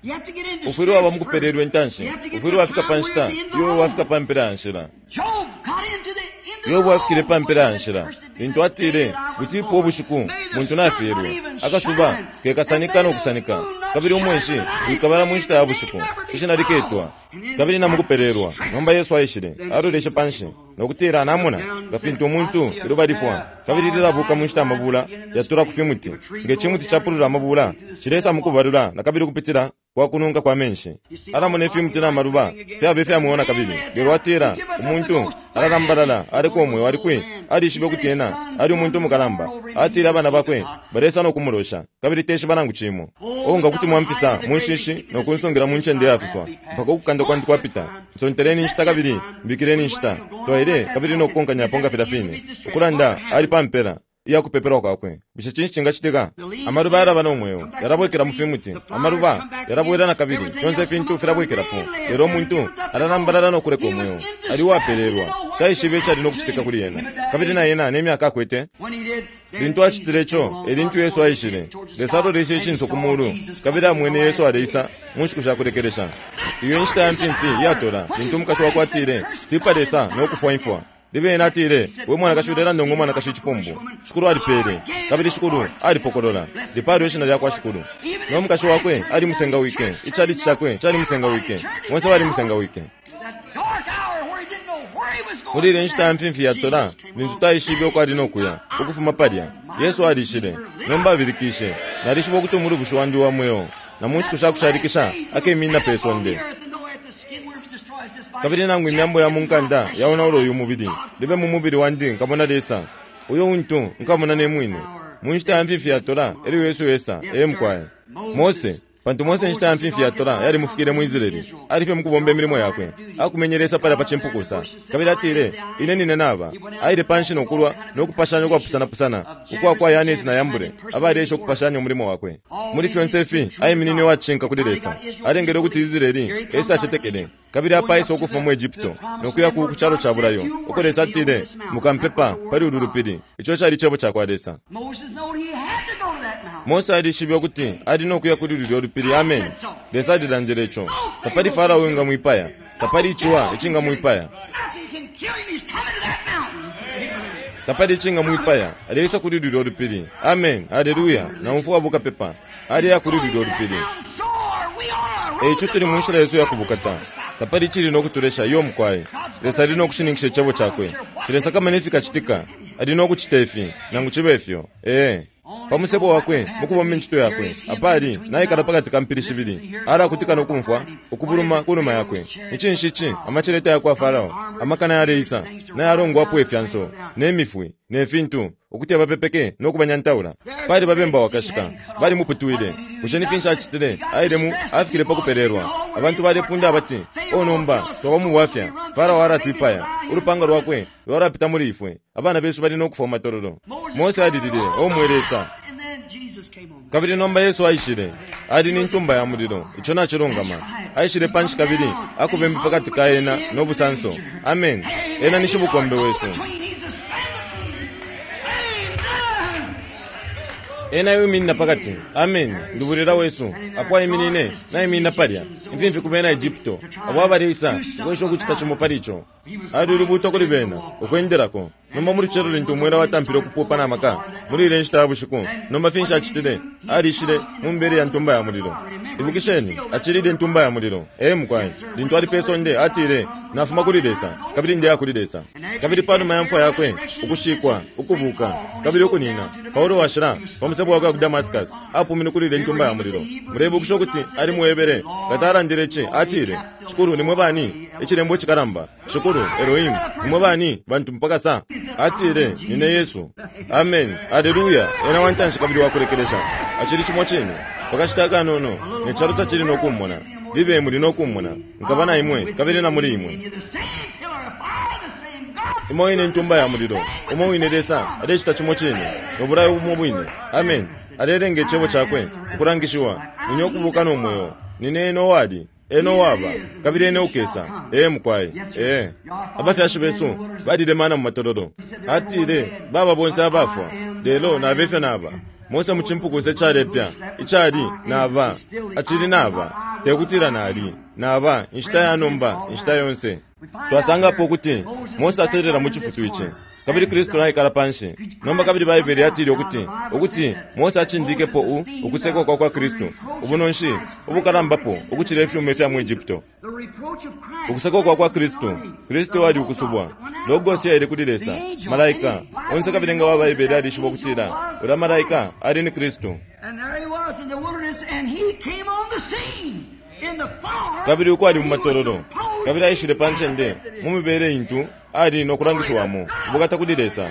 Ufwile waba mukupelelwa intanshi, ufwile wafika pa nshita iyo wafika pa mpela ya nshila. Yobo afikile pa mpela ya nshila lintu atile, butipo ubushiku muntu nafyelwe, akasuba kekasanika no kusanika, kabili umwenshi wikabala mu nshita ya bushiku, ishina liketwa kabili na mukupelelwa. Nomba Yesu aishile, aloleshe panshi no kutila, namona nga fintu umuntu iluba lifwa kabili lilabuka mu nshita amabula yatula ku fimuti. Nge cimuti capulula amabula cilesa mukubalula na kabili kupitila kwa kununka kwa menshi. Alamona ifimuti na maluba fyaba ifyamuona kabili. Lelo atila, umuntu alalambalala aleka umweo ali kwi? Alishibe ukuti ena ali umuntu umukalamba. Atile abana bakwe balesa no kumulosha, kabili teshiba nangu cimo. O nga kuti mwamfisa mu nshishi no kunsungila mu ncende yafiswa mpaka ukukanda kwandi kwapita. Nsonteleni inshita kabili mbikileni inshita. Twaile kabili no kukonkanyapo nga filya fine. Ukulanda ali pa mpela iya kupepelwa kwakwe. Bushe cinshi cingacitika? Amaluba yalaba no mweo, yalabwekela mu fimuti. Amaluba yalabwela na kabili, fyonse fintu filabwekelapo. Lelo umuntu alalambalala no kuleka umweo. Ali uwapelelwa, taishibe icali no kucitika kuli ena. Kabili na ena ne myaka akwete. Lintu acitile ico, e lintu Yesu aishile. Lesa aloleshe icinso ku mulu, kabili amwene Yesu aleisa mu nshiku sha kulekelesha. Iyo inshita ya mfimfi iyatola, lintu umukashi wakwe atile, tipa Lesa no kufwa imfwa. Libe ena atile, we mwanakashi ulelanda ngo mwanakashi icipumbu. Shikulu alipele, kabili Shikulu alipokolola. Lipalwe ishina lya kwa Shikulu. No mukashi wakwe alimusengawike, icalici cakwe calimusengawike, bonse balimusengawike. Muli ile nshita ya mfimfi yatola, lintu taishibe uko ali no kuya, ukufuma palya, Yesu alishile. Nomba abilikishe, nalishiba ukuti umulubushi wandi wa mweo, na mu nshiku sha kushalikisha akeminina pe sonde. Kabili nangu imyambo ya mu nkanda yaonaula uyu mubili, libe mu mubili wandi nkamona Lesa, uyo untu nkamona ne mwine. Mu nshita ya mfimfi yatola, elyo Yesu esa, ee mukwaye. Mose, pantu Mose inshita ya mfimfi yatola yalimufikile mu Israeli, alifye mukubomba imilimo yakwe, akumenye Lesa palya pa cimpukusa. Kabili atile, ine nine naba. Aile panshi no kulwa no kupashanya ukwapusana-pusana ukwa kwa Yanesi na Yambure, abalesha ukupashanya umulimo wakwe. Muli fyonse ifi, aiminine uwacishinka kuli Lesa. Alengele ukuti Israeli esa acetekele. Kabili apa aisa ukufuma mu Egypto no kuya ku calo ca bulayo, uko Lesa atile, mukampepa pali ulu lupili. Ico cali cebo ca kwa Lesa. Mose alishibe ukuti ali no kuya kuli lulyo lupili. Amen. Lesa alilandile ico. Tapali Farao uwingamwipaya, tapali iciwa icingamwipaya, tapali icingamwipaya. Aleisa kuli lulyo lupili. Amen. Haleluya. Na umfwa bukapepa aliya kuli lulyo lupili. Eico tuli mu nshila yesu yakubukata. Tapali icili no kutulesha iyo mukwaye. Lesa ali no kushininkisha icebo cakwe. Cilesa kamene fikacitika, ali no kucita ifi, nangu cibe ifyo. Ee. Pa musebo wakwe, mukubomba incito yakwe, apali naikala pakati ka mpili shibili, alakutika no kumfwa ukubuluma ku numa yakwe. Icinshi ici amaceleta ya kwa Farao, amakana yaleisa, nayalongwapo ifyanso, ne mifwi, ne fintu, ukuti abapepeke no kubanyantaula. Pali babemba wakashika, balimuputwile. Bushe ni finshi acitile? Aile mu afikile pa kupelelwa. Abantu balepunda abati, o nomba twaba mu bwafya, Farao alatwipaya, ulupanga lwakwe lwalapita muli ifwe, abana besu bali no kufwa matololo. Mose alilile, o mwe Lesa. Kabili nomba Yesu aishile, ali ni ntumba ya mulilo, ico nacilungama. Aishile panshi kabili akubembe pakati ka ena no busanso. Amen. Ena ni shibukombe wesu. Ena yuminina pakati. Amen. Ndubulila wesu. Apo aiminine, naiminina palya. Imfimfi ku bena Egypto. Abo abaleisa, ukwesha ukucita cimo pali ico. Ali ulubuto kuli bena, ukwendelako. Nomba muli celo lintu umwela watampile ukupupa na maka, muli ile nshita ya bushiku, nomba finshi acitile? Alishile mu mibele ya ntumba ya mulilo. Ibukisheni, acilile intumba ya mulilo. Ee mukwaye, lintu ali pe sonde, atile, nafuma kuli Lesa, kabili ndeya kuli Lesa. Kabili panuma ya mfwa yakwe, ukushikwa, ukubuka, kabili ukunina, Paulo washila, pa musebo wakwe ku Damascus, apumine kuli ile ntumba ya mulilo. Mulebukisha ukuti ali muebere, katalandile ici, atile, Shikulu nimwe bani? Icilembo cikalamba, Shikulu, Elohim, nimwe bani? Bantu mpaka sa. Atile, nine Yesu. Amen. Haleluya. Ena wantanshi kabili wakulekelesha. Acili cimo cine. Pakashita akanono, ne calo tacili no kummona. Libe muli no kummona. Nkaba na imwe, kabili na muli imwe. Imo wine ntumba ya mulilo, umo wine Lesa, alecita cimo cine, no bulayo bumo bwine. Amen. Alelenga icebo cakwe ukulangishiwa, nine ukubuka no mweo, nine eno wali, eno waba, kabili ene ukesa. Ee mukwaye. Ee. Abafyashi besu balilemana mu matololo. Atile, baba bonse abafwa, lelo nabefyo naba. Mose mu cimpukusa icalepya, icali naba, acili naba, tekutila nali, naba, inshita ya nomba, inshita yonse. Twasangapo ukuti Mose aselela mu cifutu ici, kabili Kristu naikala panshi. Nomba kabili Baibele yatile ukuti, ukuti Mose acindikepo u ukusekwa kwa kwa Kristu, ubunonshi ubukalambapo ukucila ifyuma ifya mu Egypto. Ukusekwa kwa kwa Kristu, Kristu ali ukusubwa. Logos yaile kuli Lesa, malaika, onse kabili nga wa Baibele alishiba ukutila, ula malaika ali ni Kristu. Kabili uko ali mu matololo, kabili aishile pa ncende mu mibele intu ali no kulangishiwamo, ubukata kuli Lesa.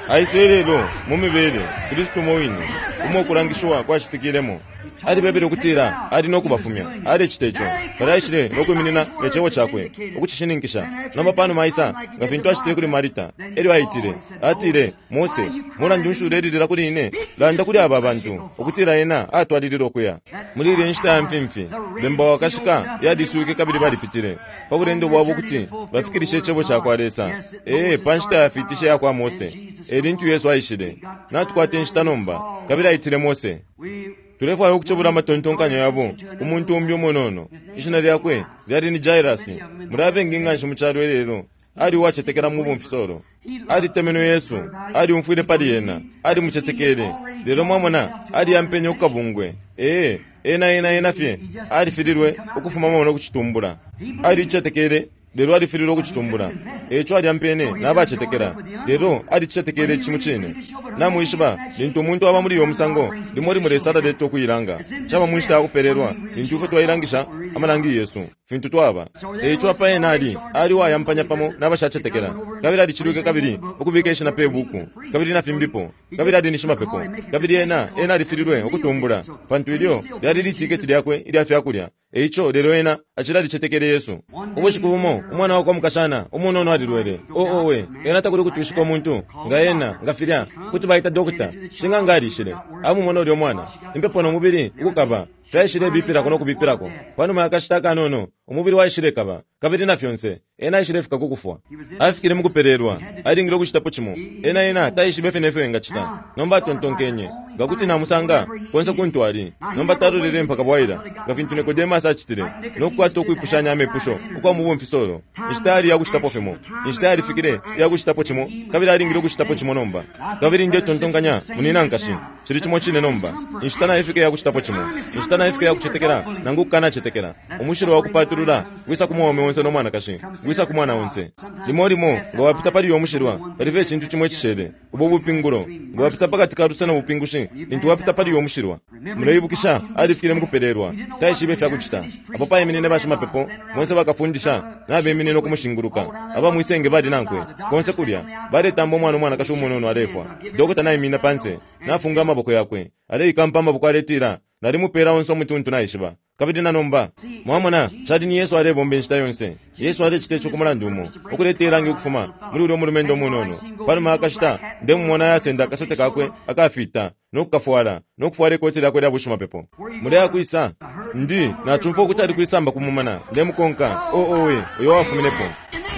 Aisile lelo mu mibele Kristu umo wine, umo ukulangishiwa kwacitikilemo. Alibebele ukutila ali no kubafumya. Alecita ico. Palya aishile no kwiminina ne Cebo Cakwe ukucishininkisha. Nomba panuma aisa, nga fintu acitile kuli Marita, elyo aitile. Atile, Mose, mulandu nshi ulelilila kuli ine? Landa kuli aba bantu, ukutila ena atwalilile ukuya. Muli ilya nshita ya mfimfi, bemba wakashika yaliswike kabili balipitile pa bulendo bwabo ukuti bafikilishe Icebo cakwa Lesa. Ee, pa nshita yafiitisha iyakwa Mose, e lintu Yesu aishile. Natukwata inshita nomba, kabili aitile Mose. Tulefwaya ukucebula amatontonkanyo yabo ku muntu umbi umunono. Ishina lyakwe lyali ni Jairus. Muli abengi nganshi mu calo ilelo. Ali uwacetekela mu bumfisolo. Alitemenwe Yesu, aliumfwile pali ena, alimucetekele. Lelo mwamona, aliyampenye ku kabungwe. Ee, ena ena ena fye alifililwe ukufumamo no kucitumbula. Alicetekele, lelo alifililwe ukucitumbula. Eico alyampene nabacetekela, lelo alicetekele ici mucine. Namwishiba, lintu umuntu aba muli uyo musango, limo limo Lesa alaleta ukuilanga. Caba mu nshita ya kupelelwa, lintu ifwe twailangisha amalangi yesu, fintu twaba. Eico apa ena ali, ali uwayampanya pamo nabashacetekela, kabili alicilwike kabili ukubika ishina pe buku, kabili na fimbipo, kabili ali ni shimapepo, kabili ena, ena alifililwe ukutumbula, pantu ilyo lyali litiketi lyakwe ilya fyakulya. Eico lelo ena acili alicetekele Yesu. Ubushiku bumo umwana wakwa mukashana umunono alilwele. O owe, ena takuli kutwishika umuntu nga ena nga filya kuti baita dokota. Shing'anga alishile, amumona ulyo mwana, impepo no mubili ukukaba fyaishile bipilako no kubipilako. Panuma ya kashita akanono umubili waishile kaba, kabili na fyonse ena aishile fika ku kufwa. Afikile mukupelelwa, alingile ukucitapo cimo. Ena ena taishibe fye nefyo engacita. Nomba atontonkenye, nga kuti namusanga konse kuntu ali. Nomba talolele mpaka bwaila, nga fintu Nicodemus acitile, no kukwata ukwipushanya amepusho ukwa mu bumfisolo. Inshita yali yakucitapo fimo, inshita yalifikile iyakucitapo cimo, kabili alingile ukucitapo cimo nomba. Kabili ndetontonkanya, munina nkashi, cili cimo cine nomba. Inshita naifika iyakucitapo cimo, inshita naifika iyakucetekela nangu kukanacetekela. Umushilo wa kupatulula wisa ku mwaume onse no mwanakashi, wisa ku mwana onse. Limo limo nga wapita pali uyo mushilwa, palife icintu cimo icishele, ubo bupingulo. Nga wapita pakati ka luse no bupingushi, lintu wapita pali uyo mushilwa. Muleibukisha, alifikile mukupelelwa, taishibe ifya kucita. Apo paiminine bashimapepo bonse bakafundisha nabeminine ukumushinguluka. Aba mwisenge bali nankwe konse kulya, baletamba umwana umwanakashi umunono alefwa. Dokota naiminina panse, nafunga amaboko yakwe, aleikampa amaboko aletila, nalimupela onse umutuntu naishiba. Kabili na nomba mwamona, cali ni Yesu alebomba inshita yonse. Yesu alecita ico ku mulandu umo, ukuleta ilangi ukufuma muli ulya umulumendo umunono. Panuma yakashita ndemumona ayasenda akasote kakwe akafita no kukafwala, no kufwala ikoti lyakwe lya bushimapepo. Muleya kwisa ndi nacumfwa ukuti ali kwisamba ku mumana, ndemukonka. O owe, uyo wafuminepo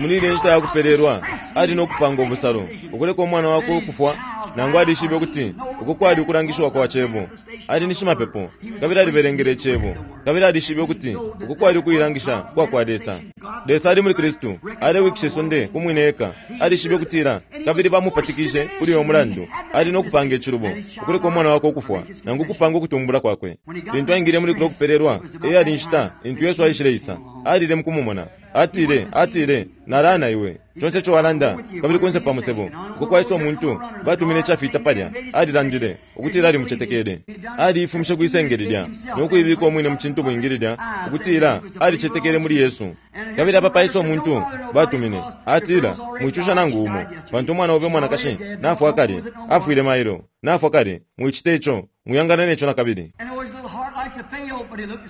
muli ilya nshita yakupelelwa, ali no kupanga ubusalo ukuleka umwana wakwe ukufwa, nangu alishibe ukuti uko kwali ukulangishiwa kwa Cebo. Ali ni shimapepo, kabili alibelengele Icebo, kabili alishibe ukuti uko kwali ukuilangisha kwa kwa Lesa. Lesa ali muli Kristu, alewikisha isonde ku mwine eka. Alishibe ukutila, kabili bamupatikishe kuli uyo mulandu, ali no kupanga icilubo ukuleka umwana wakwe ukufwa, nangu ukupanga ukutumbula kwakwe. Lintu aingile muli kulya kupelelwa, eyali inshita lintu Yesu aishileisa, alile mukumumona. Atile, atile, nalana iwe conse ico walanda, kabili kunse pa musebo uko kwaisa umuntu batumine icafita palya. Alilandile ukutila alimucetekele. Aliifumishe kwisenge lilya no kuibika umwine mu cintu bwingi lilya, ukutila alicetekele muli Yesu. Kabili apa paisa umuntu batumine, atila, mwicusha nangu umo, pantu umwana obe umwanakashi nafwa kale, afwile mailo, nafwa kale, mwicite ico, mwiyangana neco nakabili.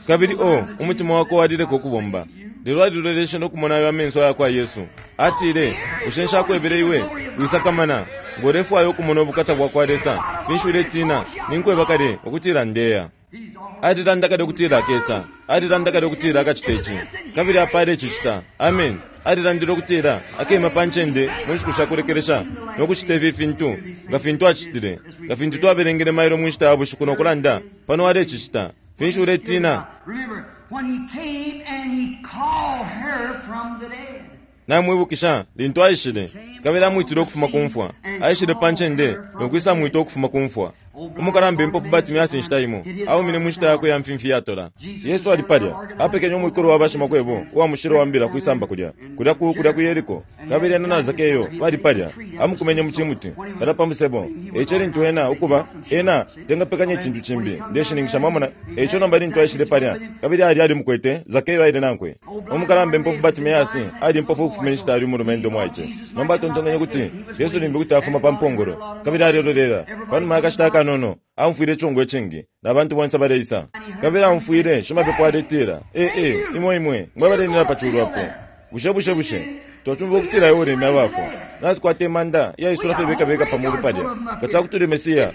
Kabili o umutima wakwe walileka ukubomba, lelo aliloleshe no kumona ayo amenso ayakwa Yesu. Atile, bushe nshakwebele iwe, wisakamana, ngo ulefwaya ukumona ubukata bwakwa Lesa, finshi uletina? Ninkweba kale ukutila ndeya. Alilanda kale ukutila akesa, alilanda kale ukutila akacita ici, kabili apa alecicita. Amen. Alilandile ukutila akema pa ncende mu nshiku sha kulekelesha no kucita ifi fintu nga fintu acitile, nga fintu twabelengele mailo mu nshita ya bushiku no kulanda pano alecicita. Finshi uletina? Namwibukisha lintu aishile kabili amwitile ukufuma ku mfwa. Aishile pa ncende no kwisa mwita ukufuma ku mfwa. Umukalamba impofu Bartimaeus inshita imo aumine mu nshita yakwe ya mfimfi yatola. Yesu ali palya, apekenye umwikulu wa bashimakwebo uwa mushilo wa mbila kwisamba kulya, kulya ku kulya ku Yeriko, kabili ena na Zakeyo bali palya, amukumenye mu cimuti palya pa musebo. Eico lintu ena ukuba ena tengapekanya icintu cimbi, ndeshininkisha mwamona. Eico nomba lintu aishile palya kabili ali alimukwete, Zakeyo aile nankwe. Umukalamba impofu Bartimaeus ali impofu ukufuma inshita ali umulumendo mwaice. Nomba atontonkenye kuti Yesu limbi kuti afuma pa mpongolo, kabili alilolela panuma yakashita akanono. panono aumfwile icongo icingi na bantu bonse baleisa. Kabili aumfwile shimapepo aletila, ee ee, imwe imwe mwe balenina pa culu apo. Bushe bushe bushe twacumva ukutila iwe ulemya abafwa. Natukwata imanda iyaisula fye beka beka pa mulu palya. Nga cakuti uli Mesiya,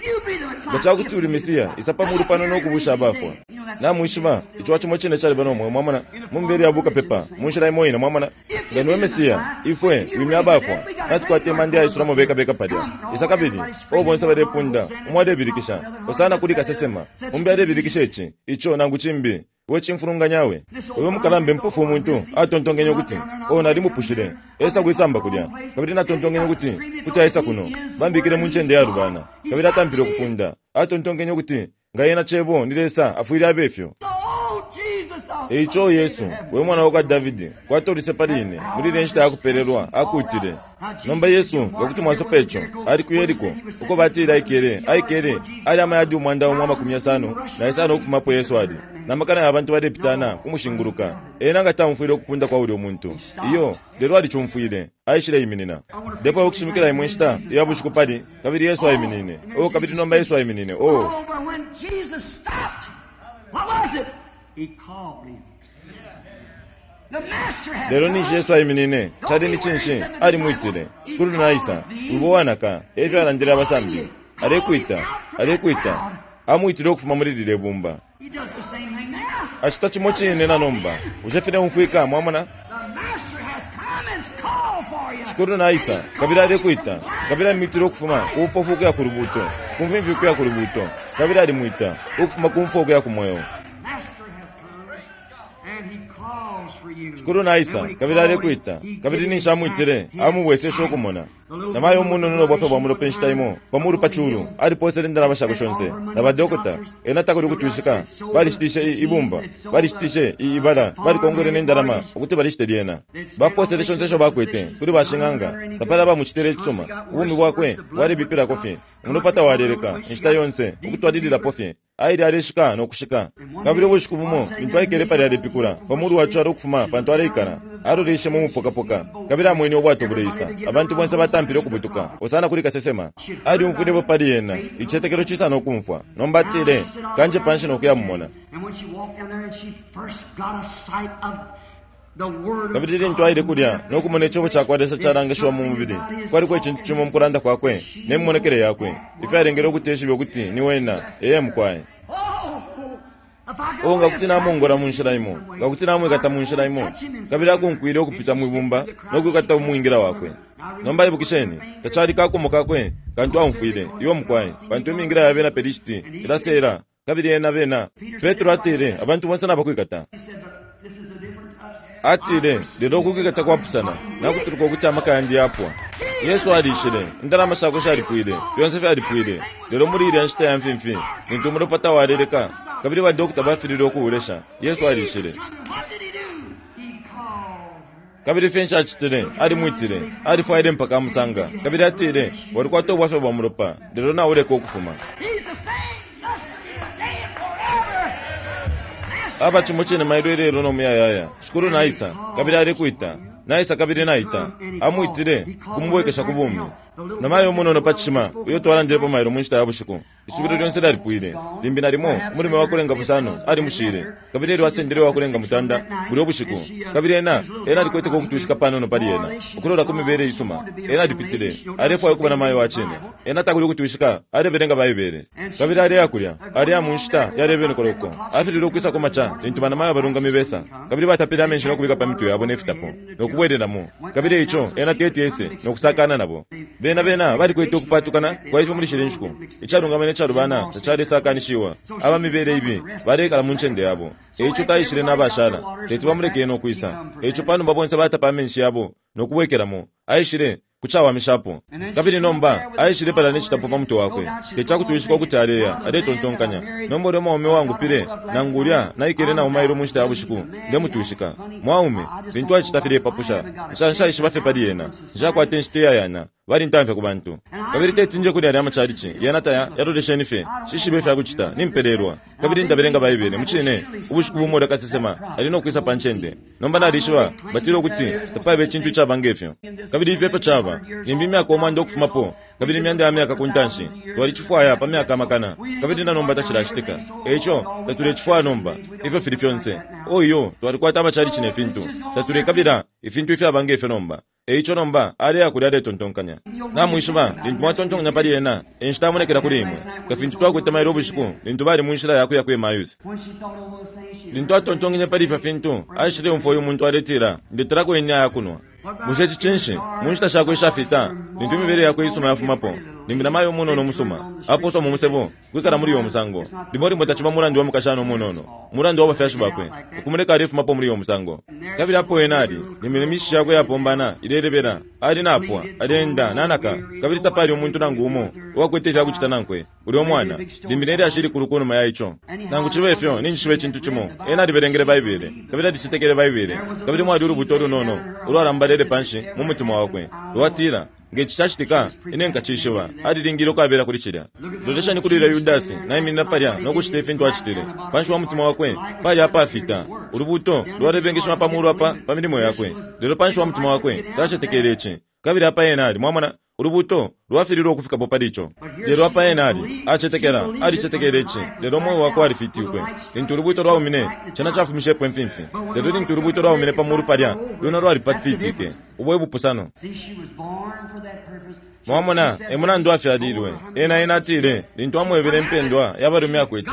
nga cakuti uli Mesiya, isa pa mulu pano no kubusha abafwa. Namwishiba ico cimo cine caliba no mweo, mwamona, mu mibele ya bukapepa mu nshila imo ine, mwamona. Nga niwe Mesiya, ifwe wimya abafwa. Natukwata imanda iyayisulamo beka beka palya. Isa kabili o bonse balepunda, umo alebilikisha osana kuli kasesema, umbi alebilikisha ici ico nangu cimbi. We cimfulunganyawe uyo mukalambe mpofu umuntu atontonkenye ukuti o nalimupushile esa kwisamba kulya, kabili natontonkenye ukuti kuti aisa kuno bambikile mu ncende ya lubana, kabili atampile ukupunda. Atontonkenye ukuti nga yena cebo ni Lesa afwile abe ifyo. Eico Yesu, we mwana wa kwa Davidi, kwatolise pali ine muli ile nshita yakupelelwa akutile. Nomba Yesu nga kuti mwasopa ico ali ku Yeriko uko batile aikele aikele ali amayadi umwanda umo amakumi yasano na yasano ukufumapo Yesu ali namakana ya bantu balepitana kumushinguluka. Ena nga taumfwile ukupunda kwa ulyo muntu iyo, lelo alicumfwile aishile iminina. Ndefwaya ukushimikila imwe nshita ya bushiku pali kabili Yesu aiminine. Oh, kabili nomba Yesu aiminine. Oh, Oh, but when Jesus stopped, what was it? He called him. The master has lelo ninshi Yesu aiminine cali ni cinshi? Alimwitile. Shikulu naisa wibo wanaka efyo alandile abasambi. Alekwita, alekwita, amwitile ukufuma muli lile bumba. He does the same thing now. Acita cimo cine na nomba. Bushe file umfwika, mwamona? The master has come and called for you. Shikulu naisa kabili alekwita, kabili alimwitile ukufuma ku bupofu ukuya ku lubuto, ku mfimfi ukuya ku lubuto, kabili alimwita ukufuma ku mfwa ukuya ku mweo. Master has come and he calls for you. Shikulu naisa kabili alekwita, kabili ninshi amwitile amubweseshe ukumona. Namayo umunono no bwafya bwa mulopa inshita imo pamulu pa culu aliposele indalama shakwe shonse na badokota. Ena takuli kutwishika, balishitishe i- ibumba, balishitishe i- ibala, balikongwele ne ndalama ukuti balishite lyena. Baposele shonse isho bakwete kuli bashing'anga, tapali abamucitile icisuma. Ubumi bwakwe bwalibipilako fye, umulopa tawaleleka inshita yonse ukutwalililapo fye. Aile aleshika no kushika. Kabili ubushiku bumo lintu aikele pali alepikula pamulu wa calo ukufuma pantu aleikala, aloleshe mu mupokapoka, kabili amwene ubwato buleisa. Abantu bonse batampile ukubutuka osana kuli kasesema. Aliumfwilepo pali ena icitetekelo cisa no kumfwa. Nomba atile, kanje panshi no kuya mumona. And when she walked down there and she first got a sight of the word of Kabili lintu aile kulya no kumona icebo ca kwa Lesa calangishiwa mu mubili, kwaliko icintu cimo mu kulanda kwakwe ne mimonekele yakwe ifyalengele ukuti eshibe ukuti ni wena eye mukwaye. Oh, if I could O nga only kuti namongola mu nshila imo, nga kuti namwikata mu nshila imo, kabili akunkwile ukupita mwibumba no kwikata umwingila wakwe. Nomba ibukisheni, tacali kakumo kakwe kantu aumfwile iwo mukwaye, pantu imingila ya bena Pelishiti ilaseela, kabili ena bena. Petro atile abantu bonse nabakwikata. He said, but this is a different touch. Atile lelo ukukwikata kwapusana nakutuluka ukuti amaka yandi yapwa. Yesu alishile, indalama shakwe shalipwile, fyonse fyalipwile. Lelo muli ilya nshita ya mfimfi lintu umulopa tawaleleka kabili badokota bafilile ukuwulesha, Yesu alishile. And what did he do? He called her. Kabili finshi acitile? Alimwitile, alifwaile mpaka amusanga. Kabili atile, walikwata ubwafya bwa mulopa, lelo nauleka ukufuma. He's the same yesterday, today, and forever. Master Aba cimo cine mailo ilelo no muyayaya. Shikulu naisa kabili alekwita, naisa kabili naita. Amwitile kumubwekesha ku bumi. Namayo umunono pa cishima uyo twalandilepo mailo mu nshita ya bushiku, isubilo lyonse lyalipwile. Limbi nalimo umulime wakulenga busano alimushile, kabili elyo asendele wakulenga mutanda bulyo bushiku. Kabili ena ena alikweteko ukutwishika panono pali ena ukulola ku mibele isuma. Ena alipitile alefwaya ukuba namayo wa cine. Ena takuli ukutwishika, alebelenga Baibele. Kabili aleya kulya, aleya mu nshita yalebenekoloko. Afilile ukwisa ku maca lintu banamayo abalungami besa, kabili batapile amenshi no kubika pa mitwe yabo ne fitapo no kubwelelamo. Kabili ico ena teti ese no kusakana nabo. Bena bena balikwete ukupatukana kwa ifyo muli shile nshiku. Icalungama ne calubana tacalesakanishiwa. Aba mibele ibi balekala mu ncende yabo. Eico taishile n'abashala teti bamuleke no kwisa. Eico panuma bonse batapa amenshi yabo no kubwekelamo, aishile kucawamishapo. Kabili nomba aishile pala ne citapo pa mutwe wakwe, tecakutwishika ukuti aleya aletontonkanya, nomba ulya mwaume wangupile nangu ulya naikele nawo mailo mu nshita ya bushiku ndemutwishika. Mwaume fintu acita filepapusha, nshaishiba fye pali ena, nshakwata inshita iyayana, balintamfya ku bantu. Kabili tetinje kuli alya amachalichi yena taya yalolesheni fye shishibe ifyakucita nimpelelwa kabili ndabelenga Baibele mucine ubushiku bumo ulya ali nokwisa pa ncende. Nomba nalishiba batile ukuti tapaba icintu icaba ngefyo kabili ifyo efyo caba limbi imyaka umwanda ukufumapo kabili imyanda ya myaka ku ntanshi twalicifwaya pa myaka amakana kabili na nomba tacilacitika. Eico tatulecifwaya nomba ifyo fili fyonse oyo twalikwata amachalichi ne fintu tatulekabila ifintu ifyaba ngefyo nomba. Eico nomba aleya kulya aletontonkanya namwishiba lintu mwatontonkanya pali ena enshita amonekela kuli imwe kafintu twakwete mailo ubushiku lintu bali mu nshila yakuya ku Emmaus. Lintu atontonkenye pali ifyo fintu aishile umfwa uyu muntu aletila ndetelako ine ayakunwa. Bushe ici cinshi mu nshita shakwe ishafita lintu imibele yakwe isuma yafumapo limbi namayo umunono umusuma aposwa mu musebo kwikala muli uyo musango limo limo taciba mulandu wa mukashana umunono umulandu wa bafyashi bakwe ukumuleka alefumapo muli uyo musango. Kabili apo ena ali limbi nemishishi yakwe yapombana ilelebela ali napwa alenda nanaka kabili tapali umuntu nangu umo uwakwete ifyakucita nankwe ulya omwana limbi nelyashi ilikulu kunuma ya ico. Nangu cibe ifyo ninjishiba icintu cimo ena alibelengele Baibele kabili alicetekele Baibele kabili mwali ulubuto ulunono ulwalambalele panshi mu mutima wakwe lwatila ngeci cacitika ine nkacishiba alilingile ukwabela kuli cilya. Loleshani kuli ulya Yudasi naiminina palya nokucita ifintu acitile panshi wa mutima wakwe pali apafita ulubuto lwalebengeshima pamulu apa pa milimo yakwe lelo panshi wa mutima wakwe tacetekele ici kabili apa ena ali mwamona ulubuto lwafililwe ukufikapo pali ico. Lelo apa ena ali acetekela alicetekele ici lelo omwoyo wakwe alifitiwe lintu ulubuto lwaumine cena cafumishepo imfimfi lelo lintu ulubuto lwaumine pamulu palya lwena lwalipatitike ubwo ebupusano. Mwamona emulandu afyalilwe ena ena atile lintu amwebele impendwa yabalume akwete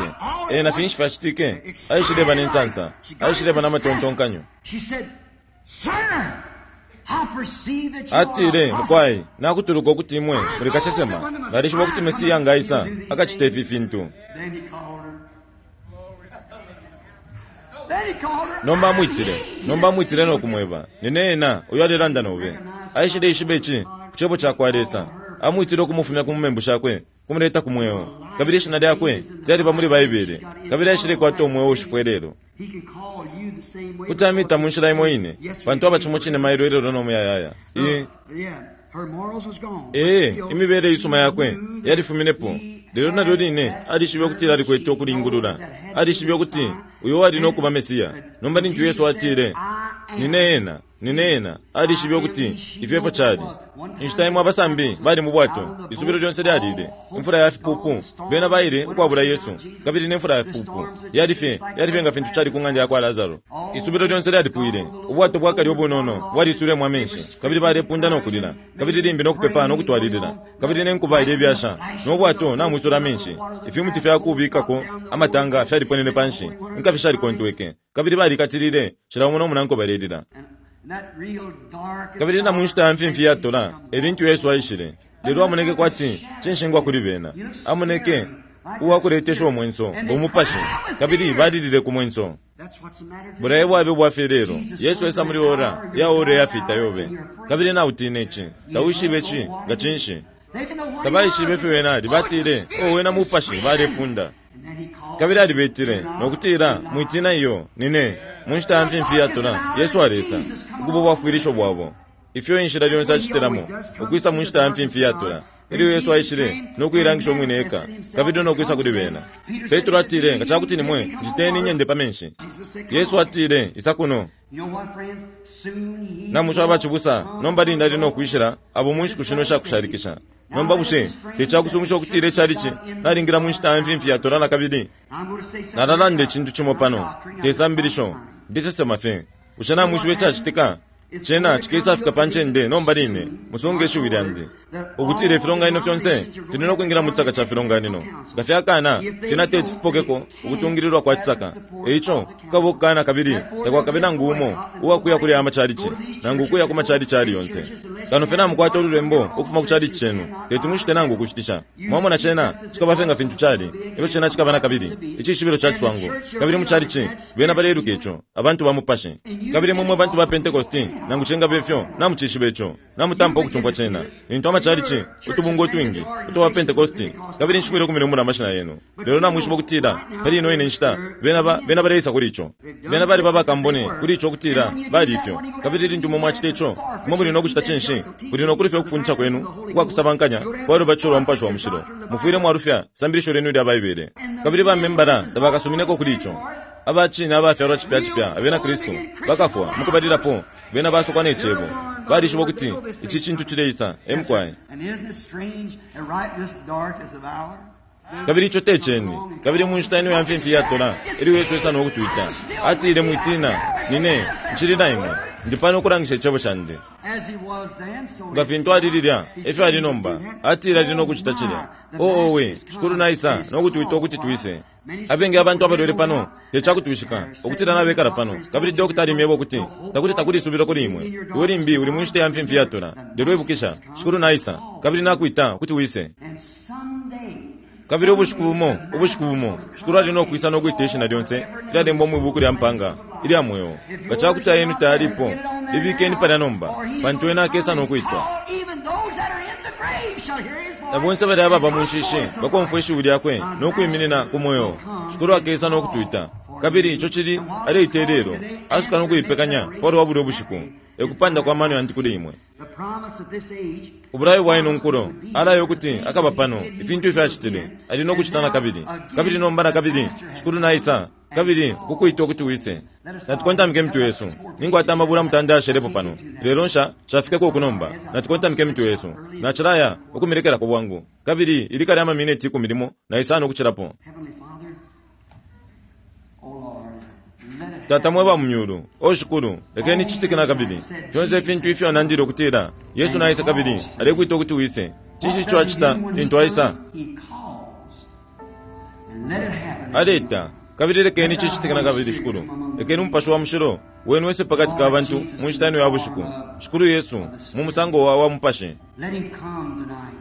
ena finshi fyacitike aishileba nensansa aishileba namatontonkanyo. Atile mukwai nakutuluka ukuti imwe muli kasesema nalishiba ukuti Mesiya ngaisa akacita ifi fintu. Nomba amwitile nomba amwitile nokumweba nine ena uyo alelanda nobe aishile ishiba ici ku cebo cakwa Lesa amwitile ukumufumya ku mumembu shakwe kumuleta ku mweo kabili ishina lyakwe lyaliba muli Baibele kabili aishile kwata umweo ushifwe lelo. Kuti amita mu nshila imo ine pantu aba cimo cine mailo ilelo nomuyayaya. Ee imibele isuma yakwe yalifuminepo lelo nalyo line alishibe ukutila alikwete ukulingulula alishibe ukuti uyo wali nokuba Mesiya. Nomba lintu Yesu atile nine ena nine ena alishibe ukuti ifyo efyo cali. Inshita imwe abasambi bali mu bwato isubilo lyonse lyalile imfula ya fipupu bena baile ukwabula Yesu kabili nemfula ya fipupu yali fye yali fye nga fintu cali ku ng'anda yakwa Lazaro. Isubilo lyonse lyalipwile ubwato bwakali obunono bwalisulemo amenshi kabili balepunda nokulila kabili limbi nokupepa nokutwalilila kabili nenkuba ilebyasha nobwato namwisula amenshi ifimuti fyakubikako amatanga fyaliponene panshi inkafi shalikontweke kabili balikatilile cila umo nomunanko balelila. Kabili na munshita ya mfimfi yatola elintu Yesu aishile lelo amoneke kwati cinshingwa kuli bena amoneke uwakuletesha omwenso ngomupashi kabili balilile ku mwenso. Bulaye bwabe bwafye lelo Yesu esa muli ora ya ora yafita yobe kabili nautina ici tawishibe ici nga cinshi tabaishibe ifyo wena ali batile o wena mupashi balepunda. Kabili alibetile nokutila mwitina iyo nine mu nshita ya mfimfi yatola Yesu alesa ukuba ubwafwilisho bwabo ifyo inshila lyonse acitilamo ukwisa mu nshita ya mfimfi yatola ilyo Yesu aishile nokuilangisha omwine eka kabili nokwisa kuli bena. Petro atile nga cakuti nimwe njiteni inyende pa menshi. Yesu atile isa kuno. Namusha abacibusa nomba linda ali nokwishila abo mu nshiku shino shakushalikisha. Nomba bushe tecakusungisha ukutila icalici nalingila mu nshita ya mfimfi yatola na kabili. Nalalanda icintu cimo pano tesambilisho ndisesema fye bushe namwishiba icacitika cena cikesafika pa ncende nomba line musunge ishiwi lyandi ukutila ifilonganino fyonse fili nokwingila mu cisaka ca filonganino nga fyakana fyena teti fipokeko ukutungililwa kwa cisaka. Eico kukaba ukukana kabili takwakabe nangu umo uwakuya kuli aya macalici nangu ukuya ku macalici ali yonse kano fye namukwata ululembo ukufuma ku calici cenu teti mushite nangu ukushitisha. Mwamona cena cikaba fye nga fintu cali efyo cena cikaba na kabili icishibilo ca ciswango kabili mu calici bena baleluka ico abantu ba mupashi kabili mwe mwe bantu ba Pentekosti Nangu cingaba ifyo, namucishiba ico. Namutampa ukucumfwa cena. Lintu amachalichi, utubungwe utwingi, utwa Pentecosti, kabili nshifwile ukumilumbula amashina yenu. Lelo namwishiba ukutila, pali ino ine nshita, bena ba, bena baleisa kuli ico. Bena bali babakambone kuli ico ukutila, bali ifyo. Kabili lintu imwe mwacita ico, imwe muli no kucita cinshi? Muli no kulufya ukufundisha kwenu ukwakusabankanya kwa lubatisho lwa Mupashi wa Mushilo. Mufwile mwalufya sambilisho lyenu ilya Baibele. Kabili bamembala tabakasumineko kuli ico. Abacine abafyalwa cipya cipya abena Kristu bakafwa mukubalilapo, bena basokwa ne cebo. Balishiba ukuti ici cintu cileisa, emukwaye. And isn't it strange that right in this darkest of hour? Kabili ico te ceni. Kabili mu nshita ino ya mfimfi yatola, ilyo Yesu esa no kutwita, atile, mwitina, nine nshili na imwe, ndi pano ukulangisha icebo candi. As he was then, so Nga fintu ali lilya, efyo ali nomba. Atile ali no kucita cilya. Oo owe, Shikulu naisa no kutwita ukuti twise. Abengi abantu abalwele pano, te cakutwishika, ukutila nabekala pano. Kabili dokota alimyeba ukuti, takuli takuli isubilo kuli imwe. Iwe limbi uli mu nshita ya mfimfi yatola. Lelo ibukisha, Shikulu naisa, kabili nakwita ukuti wise. And someday, Kabili ubushiku bumo, ubushiku bumo, Shikulu ali no kwisa no kwita ishina lyonse ilyalembwa mwi buku lya mpanga ilya mweo. Nga cakuti ayenu tayalipo, libikeni palya nomba, pantu ena akesa no kwitwa. even those that are in the grave shall hear his voice. Na bonse bali ababa mu nshishi bakomfwa ishiwi lyakwe no kwiminina ku mweo. Shikulu akesa no kutwita. Kabili ico cili aleita ilelo, asuka no kuipekanya palwa bulyo bushiku. Ekupanda kwa mano yandi kuli imwe. The promise of this age Ubulayo bwa ino nkulo alayo ukuti akaba pano ifintu ifyo acitile ali no kucita na kabili. Kabili nomba na kabili Shikulu naisa, kabili ukukwita ukuti wise. Natukontamike imitwe yesu. Ninkwata amabula mutanda yashelepo pano. Lelo nsha shafikeko uku nomba. Natukontamike imitwe yesu. Nacilaya ukumilekelako bwangu. Kabili ili kali amamineti ikumi limo na isano ukucilapo. Heavenly Father, oh Lord, let it Tata mwe ba mu myulu, o Shikulu, lekeni cicitike na kabili. Fyonse ifintu ifyo anandile ukutila, Yesu naisa kabili alekwita ukuti wise. Cinshi ico acita lintu aisa? He calls. And let it happen. Aleta, kabili lekeni cicitike na kabili Shikulu. Lekeni Umupashi wa Mushilo wenu wese pakati ka bantu mu nshita ino ya bushiku. Shikulu Yesu, mu musango wa wa Mupashi. Let him come tonight.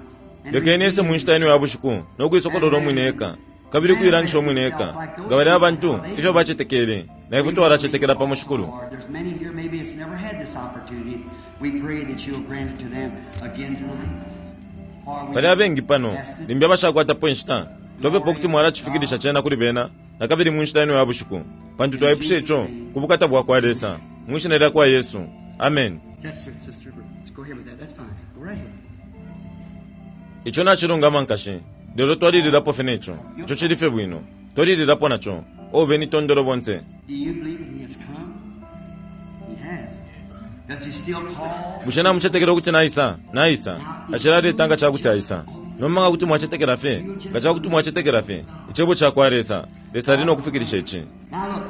And Lekeni ese mu nshita ino ya bushiku no kuisokolola umwine eka, kabili kuilangisha umwine eka. Nga bali abantu ifyo bacetekele, na ifwe twalacetekela pamo Shikulu. Lord, there's many here maybe it's never had this opportunity. We pray that you'll grant it to them again tonight. For we Pali abengi pano, ask it limbi abashakwatapo inshita, twapepa ukuti mwalacifikilisha cena kuli bena, na kabili mu nshita ino ya bushiku. Pantu twaipusha ico ku bukata bwa kwa Lesa, mu ishina lya kwa Yesu. Amen. That's it, sister. Let's go ahead with that. That's fine. Go right ahead. Ico nacilungama nkashi, lelo twalililapo fye neco. Ico cili fye bwino. Twalililapo naco. Obe ni tondolo bonse. Do you believe that he has come? He has. Does he still call? Bushe namucetekela ukuti naisa? Naisa. Acilaleta nga cakuti aisa. Nomba nga kuti mwacetekela fye, nga cakuti mwacetekela fye, icebo ca kwa Lesa, Lesa ali no kufikilisha ici. Now look,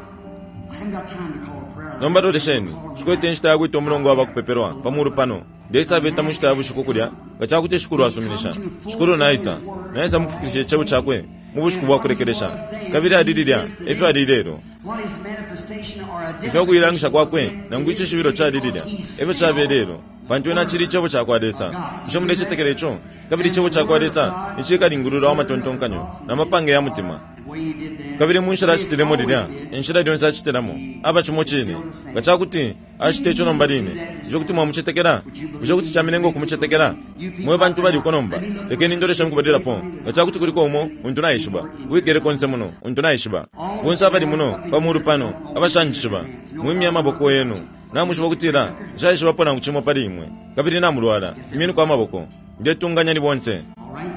I haven't got time to call a prayer. Nomba lolesheni, shikwete inshita ya kwita umulongo wa bakupepelwa pamulu pano. Ndeisabeta mu nshita ya bushiku kulya, nga cakuti Shikulu asuminisha. Shikulu naisa, naisa mukufikilisha icebo cakwe mu bushiku bwa kulekelesha. Kabili ali lilya, efyo ali lelo. What is manifestation or Ifyo kuilangisha kwakwe, nangu icishibilo cali lilya, efyo cabe lelo. Pantu ena cili icebo ca kwa Lesa. Bushe mulecetekela ico? Kabili icebo ca kwa Lesa ni cikalingulula wa matontonkanyo na mapange ya mutima. The way he did then. Kabili mu nshila acitilemo lilya, inshila lyonse acitilamo, aba cimo cine. Nga cakuti acita ico nomba line, bushe kuti mwamucetekela? Bushe kuti camilenga ukumucetekela? Mwe bantu baliko nomba, lekeni ndoleshe mukubalilapo. Nga cakuti kuliko umo, untu naishiba, wikele konse muno, untu naishiba. Bonse abali muno, pamulu pano, abashanjishiba, mwimye amaboko yenu. Namushiba ukutila, nshaishibapo nangu cimo pali imwe. Kabili namulwala, imyeni kwa maboko. Ndetunganya ni bonse. All right?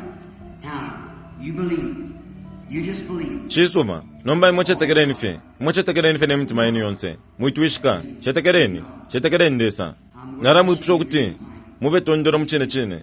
Now, you believe. You just believe. Cisuma, nomba imwe cetekeleni fye. Imwe cetekeleni fye ne mitima yenu yonse. Mwitwishika, cetekeleni, cetekeleni Lesa. Nalamwipusha ukuti mube tondolo mu cine cine.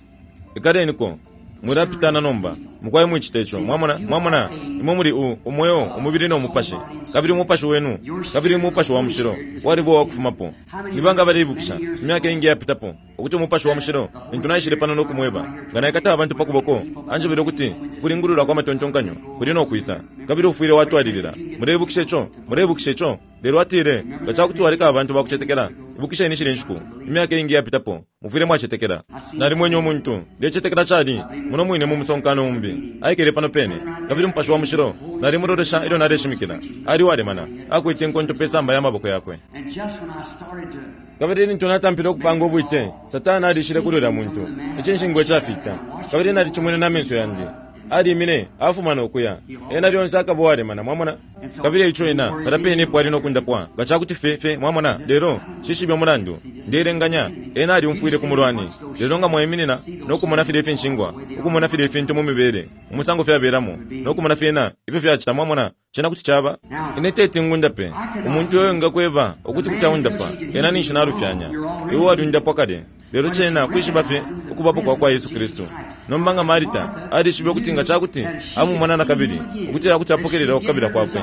Ikaleniko, mwilapitana nomba. Mukwaye mwicite ico. Mwamona, mwamona, imwe muli u, umweo, umubili no mupashi. Kabili umupashi wenu, kabili umupashi wa mushilo, walibo wakufumapo. Ni banga baleibukisha, imyaka ingi yapitapo, ukuti umupashi wa mushilo, lintu naishile pano no kumweba, nga naikata abantu pa kuboko, anjebele ukuti kulingulula kwa matontonkanyo, kuli no kwisa, kabili ufwile watwalilila. Muleibukisha ico, muleibukisha ico. Lelo atile, nga cakuti waleka abantu bakucetekela, ibukisheni shile nshiku, imyaka iingi yapitapo, mufwile mwacetekela. Nalimwenye umuntu, ndecetekela cali, muno mwine mu musonkano umbi, aikele pano pene, kabili Mupashi wa Mushilo, nalimulolesha ilyo naleshimikila. Ali walemana, akwete inkonto pe samba ya maboko yakwe. And just when I started to Kabili lintu natampile ukupanga ubwite, Satana alishile kuli ulya muntu, icinshingwa icafita, kabili nalicimwene na menso yandi. Alimine, afuma nokuya. Ena lyonse akaba uwalemana, mwamona? Kabili ico ena, palya pene epo ali nokundapwa, nga cakuti fe, fe, mwamona? Lelo, nshishibe umulandu. Ndeelenganya, ena alyumfwile ku mulwani. Lelo nga mwaiminina, nokumona filya ifinshingwa, ukumona filya ifintu mu mibele, umusango fyabelamo, nokumona fyena, ifyo fyacita, mwamona? Cena kuti caba. Ine teti ngundape. Umuntu uyo engakweba ukuti kuti aundapa, ena ninshi nalufyanya. Iwe waliundapwa kale. Lelo cena kwishiba fye ukubapo kwa kwa Yesu Kristu. Nomba nga Marita alishibe ukuti nga cakuti amumona nakabili, ukutila kuti apokelela ukukabila kwakwe,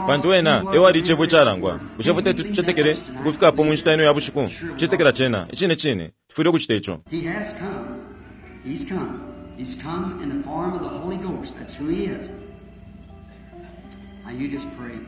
pantu ena e wali Icebo icalangwa. Bushe ifwe teti tucetekele ukufika apo mu nshita ino ya bushiku? Kucetekela cena, icine cine, tufwile ukucita ico. He has come. He's come. He's come in the form of the Holy Ghost. That's who He is. Now you just pray.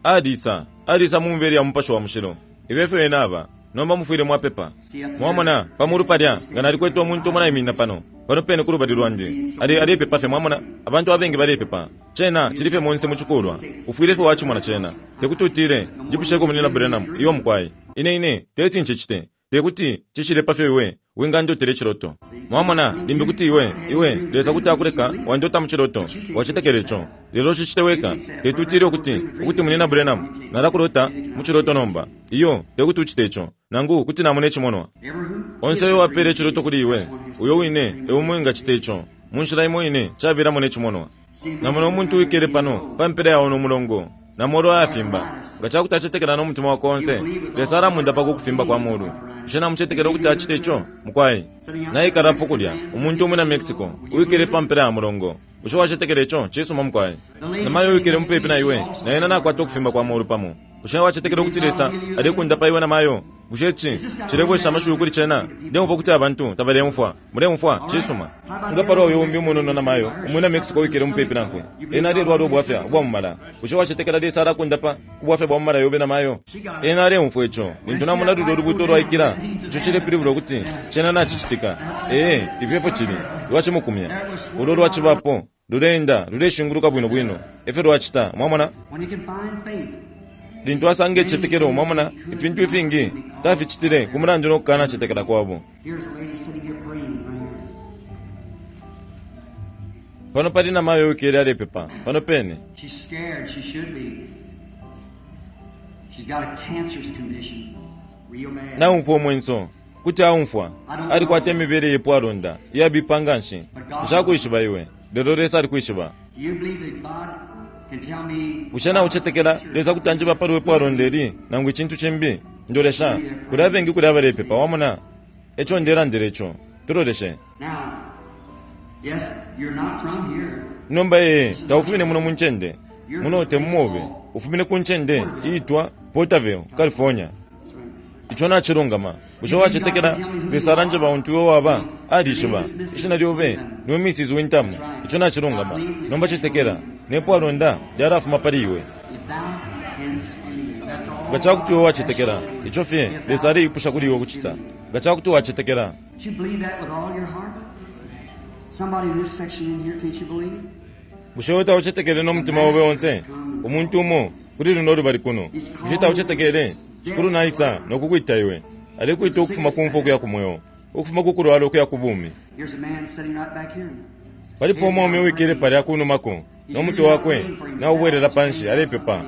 Alisa, alisa mu mibele ya Mupashi wa Mushilo. Ifyo efyo ena aba. Nomba mufwile mwapepa. Mwamona, pa mulu palya, nga nalikwete umuntu umo naiminina pano, pano pene kulubali lwandi, ali, alepepa fye, mwamona, abantu abengi balepepa. Cena cili fye monse mu cikulwa. Ufwile fye wacimona cena. Tekuti utile, Njipusheko Munyina Branham, iyo mukwai. Ine, ine, teti ncicite. Tekuti cishile pafyo iwe wingandotela iciloto. Mwamona, limbi kuti iwe, iwe, Lesa kuti akuleka wandota mu ciloto. Wacetekela ico. Lelo cicite weka. Teti utile ukuti, ukuti Munyina Branham, nalakulota mu ciloto nomba. Iyo, tekuti ucite ico. Nangu kuti namona icimonwa. Onse uyo wapele iciloto kuli iwe, uyo wine e umo wingacita ico. Mu nshila imo ine cabelamo ne cimonwa. Namona umuntu uwikele pano, pa mpela ya uno mulongo, na molu ayafimba. Nga cakuti acetekela no mutima wakwe onse, Lesa alamundapa ku kufimba kwa molu. Bushe namucetekela ukuti acite ico, mukwai? Naikalapo kulya, umuntu umwina Mexico, uwikele pa mpela ya mulongo. Bushe wacetekela ico? Cisuma, mukwai. Namayo uwikele mupepi na iwe, na ena nakwata ukufimba kwa molu pamo. Bushe wacetekela ukuti Lesa alekundapa iwe namayo? Bushe ici cilebwesha amashiwi kuli cena? Ndeumfwa ukuti abantu tabaleumfwa. Muleumfwa? Cisuma. Nga palwa uyo umbi umunono namayo, umwina Mexico uwikele mupepi nankwe, ena alelwala ubwafya ubwa mumala. Bushe wacetekela Lesa alakundapa ku bwafya bwa mumala yobe namayo? Ena aleumfwa ico. Lintu namona lulyo ulubuto lwaikila, ico cilepilibula ukuti cena nacicitika. Ee, ifyo efyo cili. Lwacimukumya. Ulo lwacibapo, luleenda, luleshinguluka bwino bwino. Efyo lwacita. Mwamona? When you can find faith. Lintu asanga icicetekelo, mwamona, ifintu ifingi taficitile ku mulandu no kukana cetekela kwabo. Here's a lady sitting here praying right here. Pano pali namayo uwikele alepepa, pano pene. She's scared. She should be. She's got a cancerous condition. Real bad. Naumfwa umwenso, kuti aumfwa, alikwata imibele yepwalonda, iyabipa nganshi. Nshakwishiba iwe, lelo Lesa alikwishiba. Do you believe that God can tell me Bushe naucetekela Lesa kuti anjeba pali wepwalonda ili, nangu icintu cimbi? Ndolesha, kuli abengi kuli abalepepa, wamona? Eco ndelandila ico. Tuloleshe. Now, yes, you're not from here. Nomba ee, taufumine muno mu ncende. Muno te mumobe. Ufumine ku ncende iitwa Porterville, California. That's right. Ico nacilungama. Bushe wacetekela Lesa alanjeba untu iwe waba? Alishiba. Ishina lyobe niwe Missus Wintham. Ico nacilungama. Nomba cetekela, nepwalonda lyalafuma pali iwe. If thou canst believe, that's all. Nga cakuti iwe wacetekela, ico fye Lesa aleipusha kuli iwe ukucita. Nga cakuti wacetekela. Do you believe that with all your heart? Somebody in this section in here, can't you believe? Bushe iwe taucetekele no mutima obe onse? Umuntu umo kuli luno lubali kuno. Bushe taucetekele? Shikulu naisa nokukwita iwe. Alekwita ukufuma ku mfwa ukuya ku mweo, ukufuma ku kulwala ukuya ku bumi. Here's a man sitting right back here. Palipo umwaume uwikele palya kunumako, no mutwe wakwe naubwelela panshi, alepepa.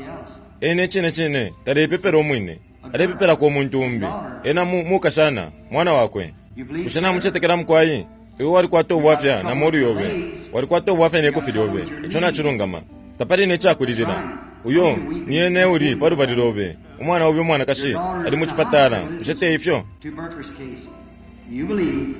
Ena icine cine talepepela umwine, alepepelako umuntu umbi. Ena mu, mukashana, mwana wakwe. Bushe namucetekela mukwai? Iwe walikwata ubwafya na molu yobe, walikwata ubwafya ne kofi lyobe. Ico nacilungama. Tapali ne cakulilila. Uyo ni ene uli pa lubali lobe, umwana obe umwanakashi ali mu cipatala. Bushe te ifyo? Tuberculous case. You believe.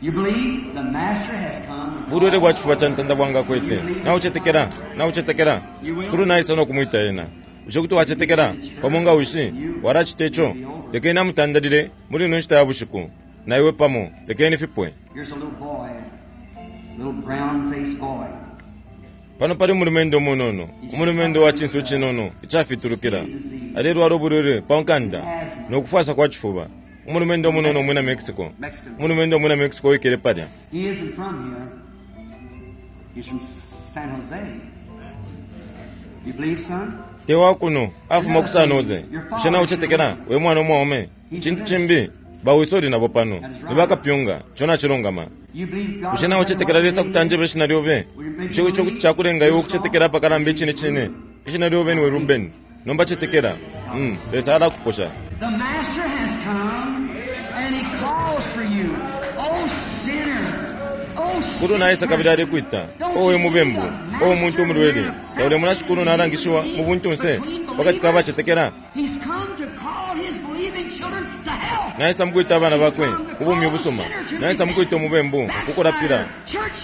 You believe the master has come. Bulwele bwa cifuba ca ntanda bwanga kwete. Naucetekela, naucetekela. Shikulu naisa no kumwita ena. Bushe kuti wacetekela pamo nga wishi walacita ico? Lekeni amutandalile muli ino nshita ya bushiku. Na iwe pamo, lekeni fipwe. Here's a little boy, little brown-faced boy. Pano pali umulumendo umunono, umulumendo wa cinso cinono icafitulukila, alelwala ubulwele pa nkanda no kufwasa kwa cifuba. Umulumendo umunono umwina Mexico, umulumendo umwina Mexico wikele palya. He isn't from here. He's from San Jose. You believe, son? Te wakuno afuma ku San Jose. Bushe naucetekela we mwana umwaume? Cintu cimbi bawisoli nabo pano ni bakapyunga ico nacilungama. You believe God? Bushe naucetekela Lesa kuti anjebe ishina lyobe? Bushe ico kuti cakulenga iwe ukucetekela apakalamba icine cine? Ishina lyobe niwe Ruben. Nomba cetekela. Mm, Lesa alakuposha. The Master has come and He calls for you. Oh sinner! Oh Shikulu naisa kabili alekwita, owe mubembu, owe muntu umulwele, taulemona Shikulu nalangishiwa mu buntunse pakati ka bacetekela. He's come to call His believing children to health. Naisa mukwita abana bakwe ubumi ubusuma. Naisa mukwita umubembu kukulapila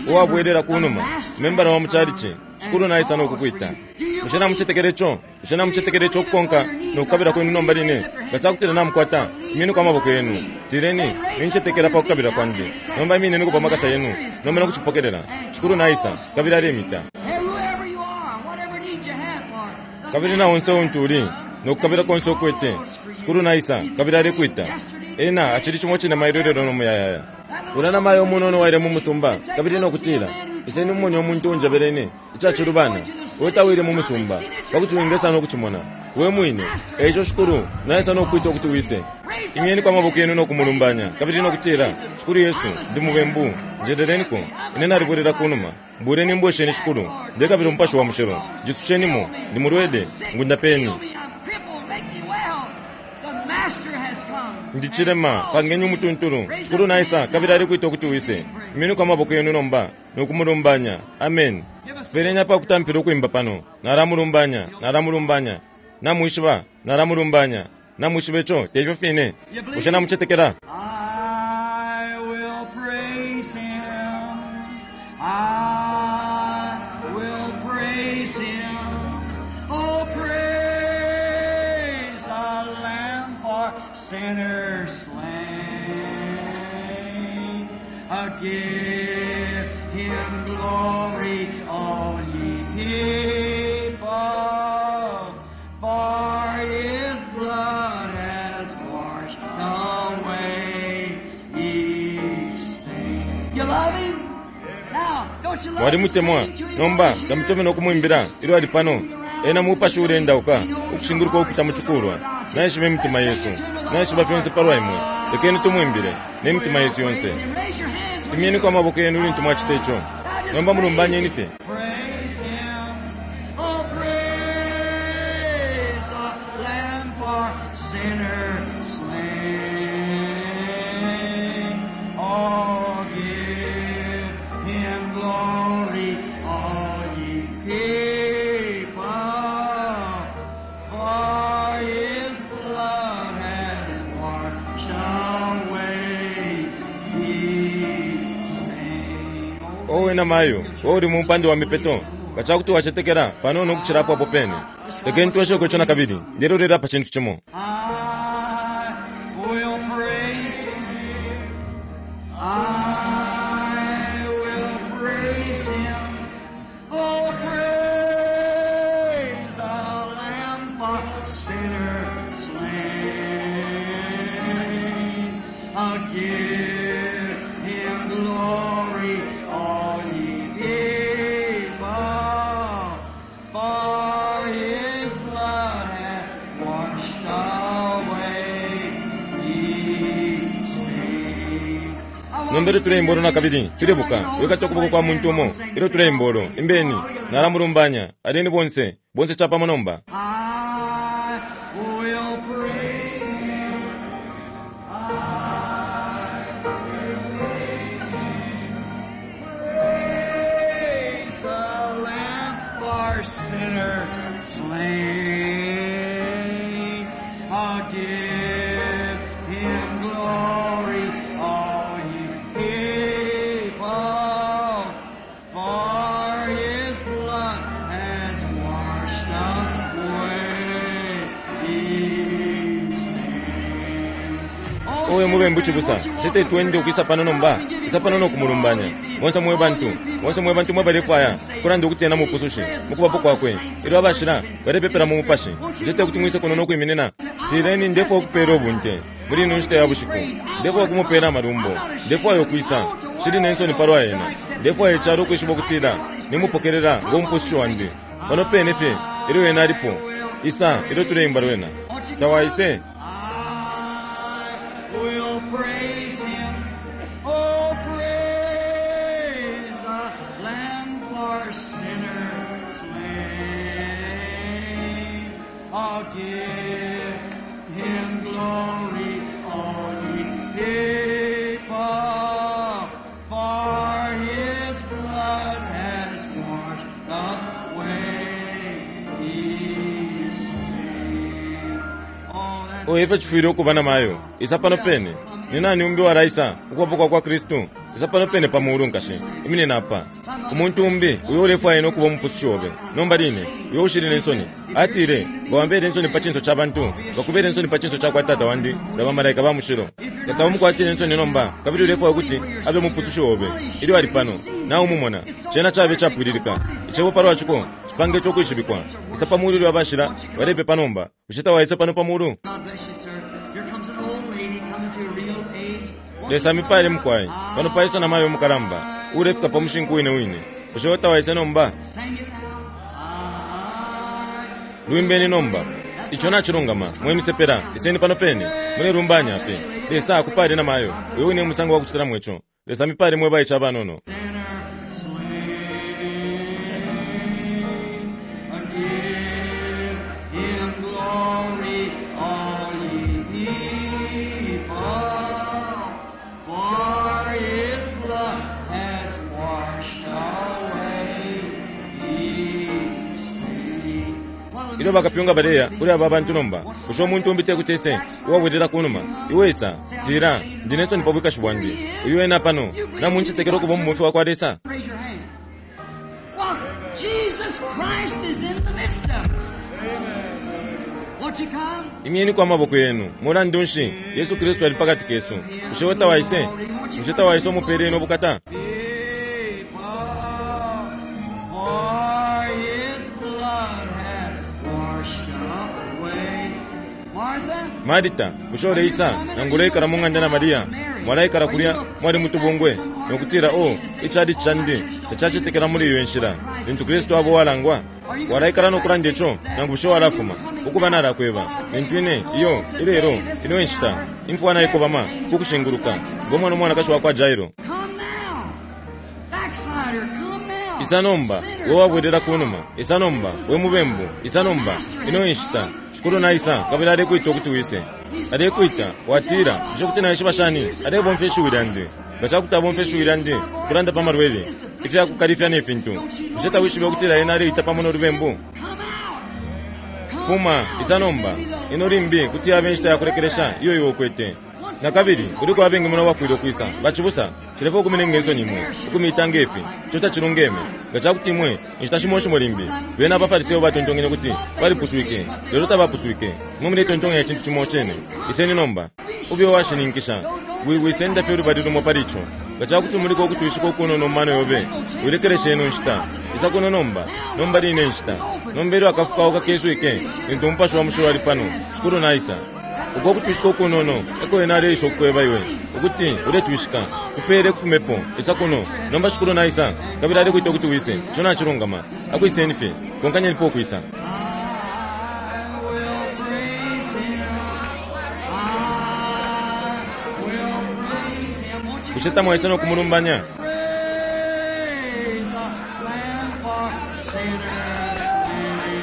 uwabwelela kunuma, membala wa muchalichi. Shikulu naisa nokukwita. Bushe namucetekela ico? Bushe namucetekela ico okukonka nokukabila kwenu nomba line? Nga cakutila namukwata, imyeniko amaboko yenu. Tileni, nincetekela pa kukabila kwandi. Nomba imineniko pa makasa yenu, nomba nokucipokelela. Shikulu naisa kabili alemita. Hey, whoever you are, whatever need you have for the Kabili na onse untu uli nokukabila konse ukwete. Shikulu naisa kabili alekwita. Ena acili cimo cine mailo no muyayaya. Ula na mayo umunono waile mu musumba kabili nokutila, iseni mumone umuntu unjebelene icacilubana, we tawile mu musumba pakuti wingesa nokucimona we mwine. Eico Shikulu naisa nokukwita ukuti wise. Imyeniko amaboko yenu nokumulumbanya kabili nokutila, Shikulu Yesu, ndi mubembu, njeleleniko, ine nalibwelela kunuma. Mbuleni mbwesheni Shikulu, ndekabila umupashi wa mushilo, njitsushenimo, ndi mulwele, ngundapeni. Heal me, I'm crippled, make me well. The Master has come. Ndichilema pangeni umutuntulu. Shikulu naisa kabili alikwita ukuti wise. Imyeniko amaboko yenu nomba nokumulumbanya. Amen. Pelenya pa kutampila ukwimba pano. Nalamulumbanya, nalamulumbanya. Namwishiba, nalamulumbanya. Namwishiba ico teifyo fine. Bushe namucetekela? I will praise Him. I will praise Him. Oh, praise the Lamb for sinners slain. Uh, give Him glory, all ye people, for His blood has washed away each stain. You love Him? Now, don't you love to Mwalimutemwa sing to Him nomba while he's here? kamutome nokumwimbila ilyo ali pano. Ena mupashi ulendauka ukushinguluka ukupita mu cikulwa. Naishiba imitima yesu, naishiba fyonse palwa imwe. Lekeni tumwimbile n'emitima yesu yonse. Raise your hands when you Imyeniko amaboko yenu lintu mwacita ico. Nomba mulumbanyeni fye. Praise Him. Oh, praise the Lamb for sinners slain. Oh, give Him glory, all ye people, for His blood has washed away each stain. Owe na mayo, uli mu mpande wa mipeto. Nga cakuti wacetekela panono ukucilapo apo pene. Lekeni twesheko ico nakabili, ndelolera pa cintu cimo. I will praise Him. I will praise Him. Oh, praise the Lamb for sinners slain. I'll give Him glory, all ye people, for His blood hath washed away each stain. Nombele tuleimbolo nakabili, tulebuka, wikata ukuboko kwa muntu umo, ilyo tuleimbolo, imbeni, nalamulumbanya, aleni bonse, bonse capamo nomba. I will praise Him. I will praise Him. Praise the Lamb for sinners slain. I'll give Him glory, all ye people, for His blood has washed away each stain. Owe mubembu cibusa, bushe tetwende ukwisa pano nomba? Isa pano nokumulumbanya. Bonse mwe bantu, bonse mwe bantu mwebalefwaya kulanda ukuti ena mupusushi mukubapo kwakwe. Ilyo abashila balepepela mu mupashi, bushe tekuti mwise kuno nokwiminina? Tileni, ndefwaya ukupela ubunte muli ino nshita ya bushiku. Ndefwaya ukumupela amalumbo. Ndefwaya ukwisa. Nshili ne nsoni palwa ena. Ndefwaya icalo ukwishiba ukutila nimupokelela ngo mupusushi wandi. Pano pene fye ilyo ena alipo. Isa ilyo tuleimba lwena. Tawaise. I will praise him. Oh, praise the Lamb for sinners slain. Oh, give him glory, all ye people, for his blood has washed away his sin. Oh, that Oyo ifyo cifwile ukuba na mayo. Isa pano pene. Ni nani umbi walaisa ukubapo kwa kwa Kristu? Isa pano pene pa mulu nkashe. Iminina apa. Umuntu umbi uyo ulefwaya ena ukuba umupusushi obe. Nomba line, uyo ushili ne nsoni. Atile, nga wambele insoni pa cinso ca bantu, ngakubele insoni pa cinso ca kwa Tata wandi na bamalaika ba mushilo. Tata umukwatile insoni nomba, kabili ulefwaya ukuti abe umupusushi obe. Ilyo ali pano, naumumona. Cena cabe capwililika. Icebo palwa ciko, cipange ico kwishibikwa. Isa pa mulu ilyo abashila, balepepa nomba. Bushe tawaisa pano pa mulu? God bless you, sir. Here comes an old lady coming to a real age. Lesa mipale mukwai. Pano paisa na mayo mukalamba. Ulefika pa mushinku wine wine. Bushe tawaisa nomba? Sing it now. I Lwimbeni nomba. Ico nacilungama, mwe misepela, iseni pano pene, mulelumbanya fye. Lesa akupale na mayo, uyo wine musango wa kucitilamo ico. Lesa mipale mwe baice abanono. sinner slain. Give him glory, all ye people, for his blood has washed away his stain. Ilyo bakapyunga baleya kuli aba bantu nomba, bushe umuntu umbi tekuti ese uwabwelela kunuma? Iwe isa, tila, ndi ne nsoni pa bwikashi bwandi. Uyu ena pano, namuncetekela ukuba umubomfi wa kwa Lesa. Raise your hands. Well, Jesus Christ is in the midst of us. Won't you come? Imyeni amaboko yenu, mulandu nshi Yesu Kristu ali pakati kesu. Bushe tawaise? Bushe tawaise umupele ino bukata? People, for his blood hath washed away. Martha, Marita, bushe uleisa nangu uleikala mu ng'anda na Maria? Mwalaikala kulya mwali mutubungwe nokutila o icali candi tacacetekela muli iyo nshila lintu Kristu abo walangwa. Walaikala nokulanda ico nangu bushe walafuma ukuba nalakweba lintu ine iyo ilelo ino enshita imfwa naikobama kukushinguluka ngo mwana umwanakashi wa kwa Jairo. come now. Backslider, come now. Isa nomba Sinner, we wabwelela kunuma. Isa nomba we mubembu. Isa nomba ino enshita shikulu naisa kabili alekwita ukuti wise. Alekwita watila bushe kuti naishiba shani? Alebomfya ishiwi lyandi. Nga cakuti abomfya ishiwi lyandi kulanda pa malwele ifyakukalifya ne fintu, bushe tawishibe ukutila ena aleita pamo nolubembu? Come out. Come Fuma now. isa nomba ino limbi kuti yabe inshita yakulekelesha iyo iwe ukwete. Na kabili kuliko abengi muno abafwile ukwisa bacibusa cilefwa ukuminenga insoni imwe ukumita ngefi ico tacilungeme. Nga cakuti imwe inshita shimo shimo limbi bena abafariseyo batontonkenye ukuti balipuswike, lelo tabapuswike. Imwe muletontonkanya icintu cimo cene. Iseni nomba ube uwashininkisha wiwisenda fye ulubali lumo pali ico. Nga cakuti muliko ukutwishika ukunono mu mano yobe, wilekeleshe ino nshita. Isa kuno nomba, nomba line inshita. Nomba ilyo akafukauka keswike lintu umupashi wa mushilo ali pano, shikulu naisa. Uko kutwishika ukunono eko ena aleisha ukukweba iwe ukuti uletwishika kupele kufumepo. Isa kuno nomba, shikulu naisa kabili alekwita ukuti wise. Ico nacilungama, akwiseni fye, konkanyenipo ukwisa. I will praise him. I will praise him. Won't you Bushe tamwaisa nokumulumbanya? praise the Lamb for sinners slain?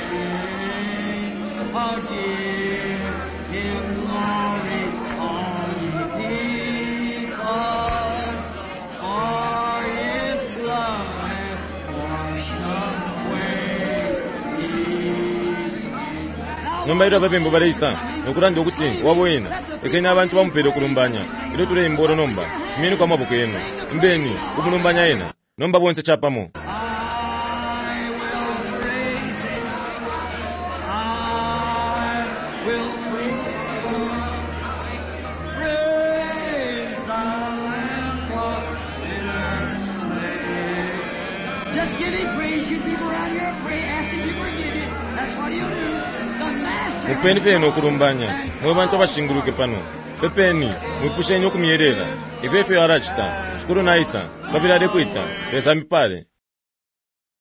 Oh, give him glory, all ye people, for his blood hath washed away his sin. Nomba ilyo ababembu baleisa nokulanda ukuti wabo ena, lekeni abantu bamupele ukulumbanya. Ilyo tuleimba ulo nomba, imyeni kwa maboko yenu, imbeni ukumulumbanya ena. Nomba bonse capamo. I will praise him. I will praise him. Just give him praise. You people around here, pray, ask him to forgive you. That's what he'll do. The master. Mupeni fye nokulumbanya mwe bantu abashinguluke pano. Pepeni, mwipusheni ukumyelela. Ifyo efyo alacita. Shikulu naisa kabili alekwita. Lesa amipale.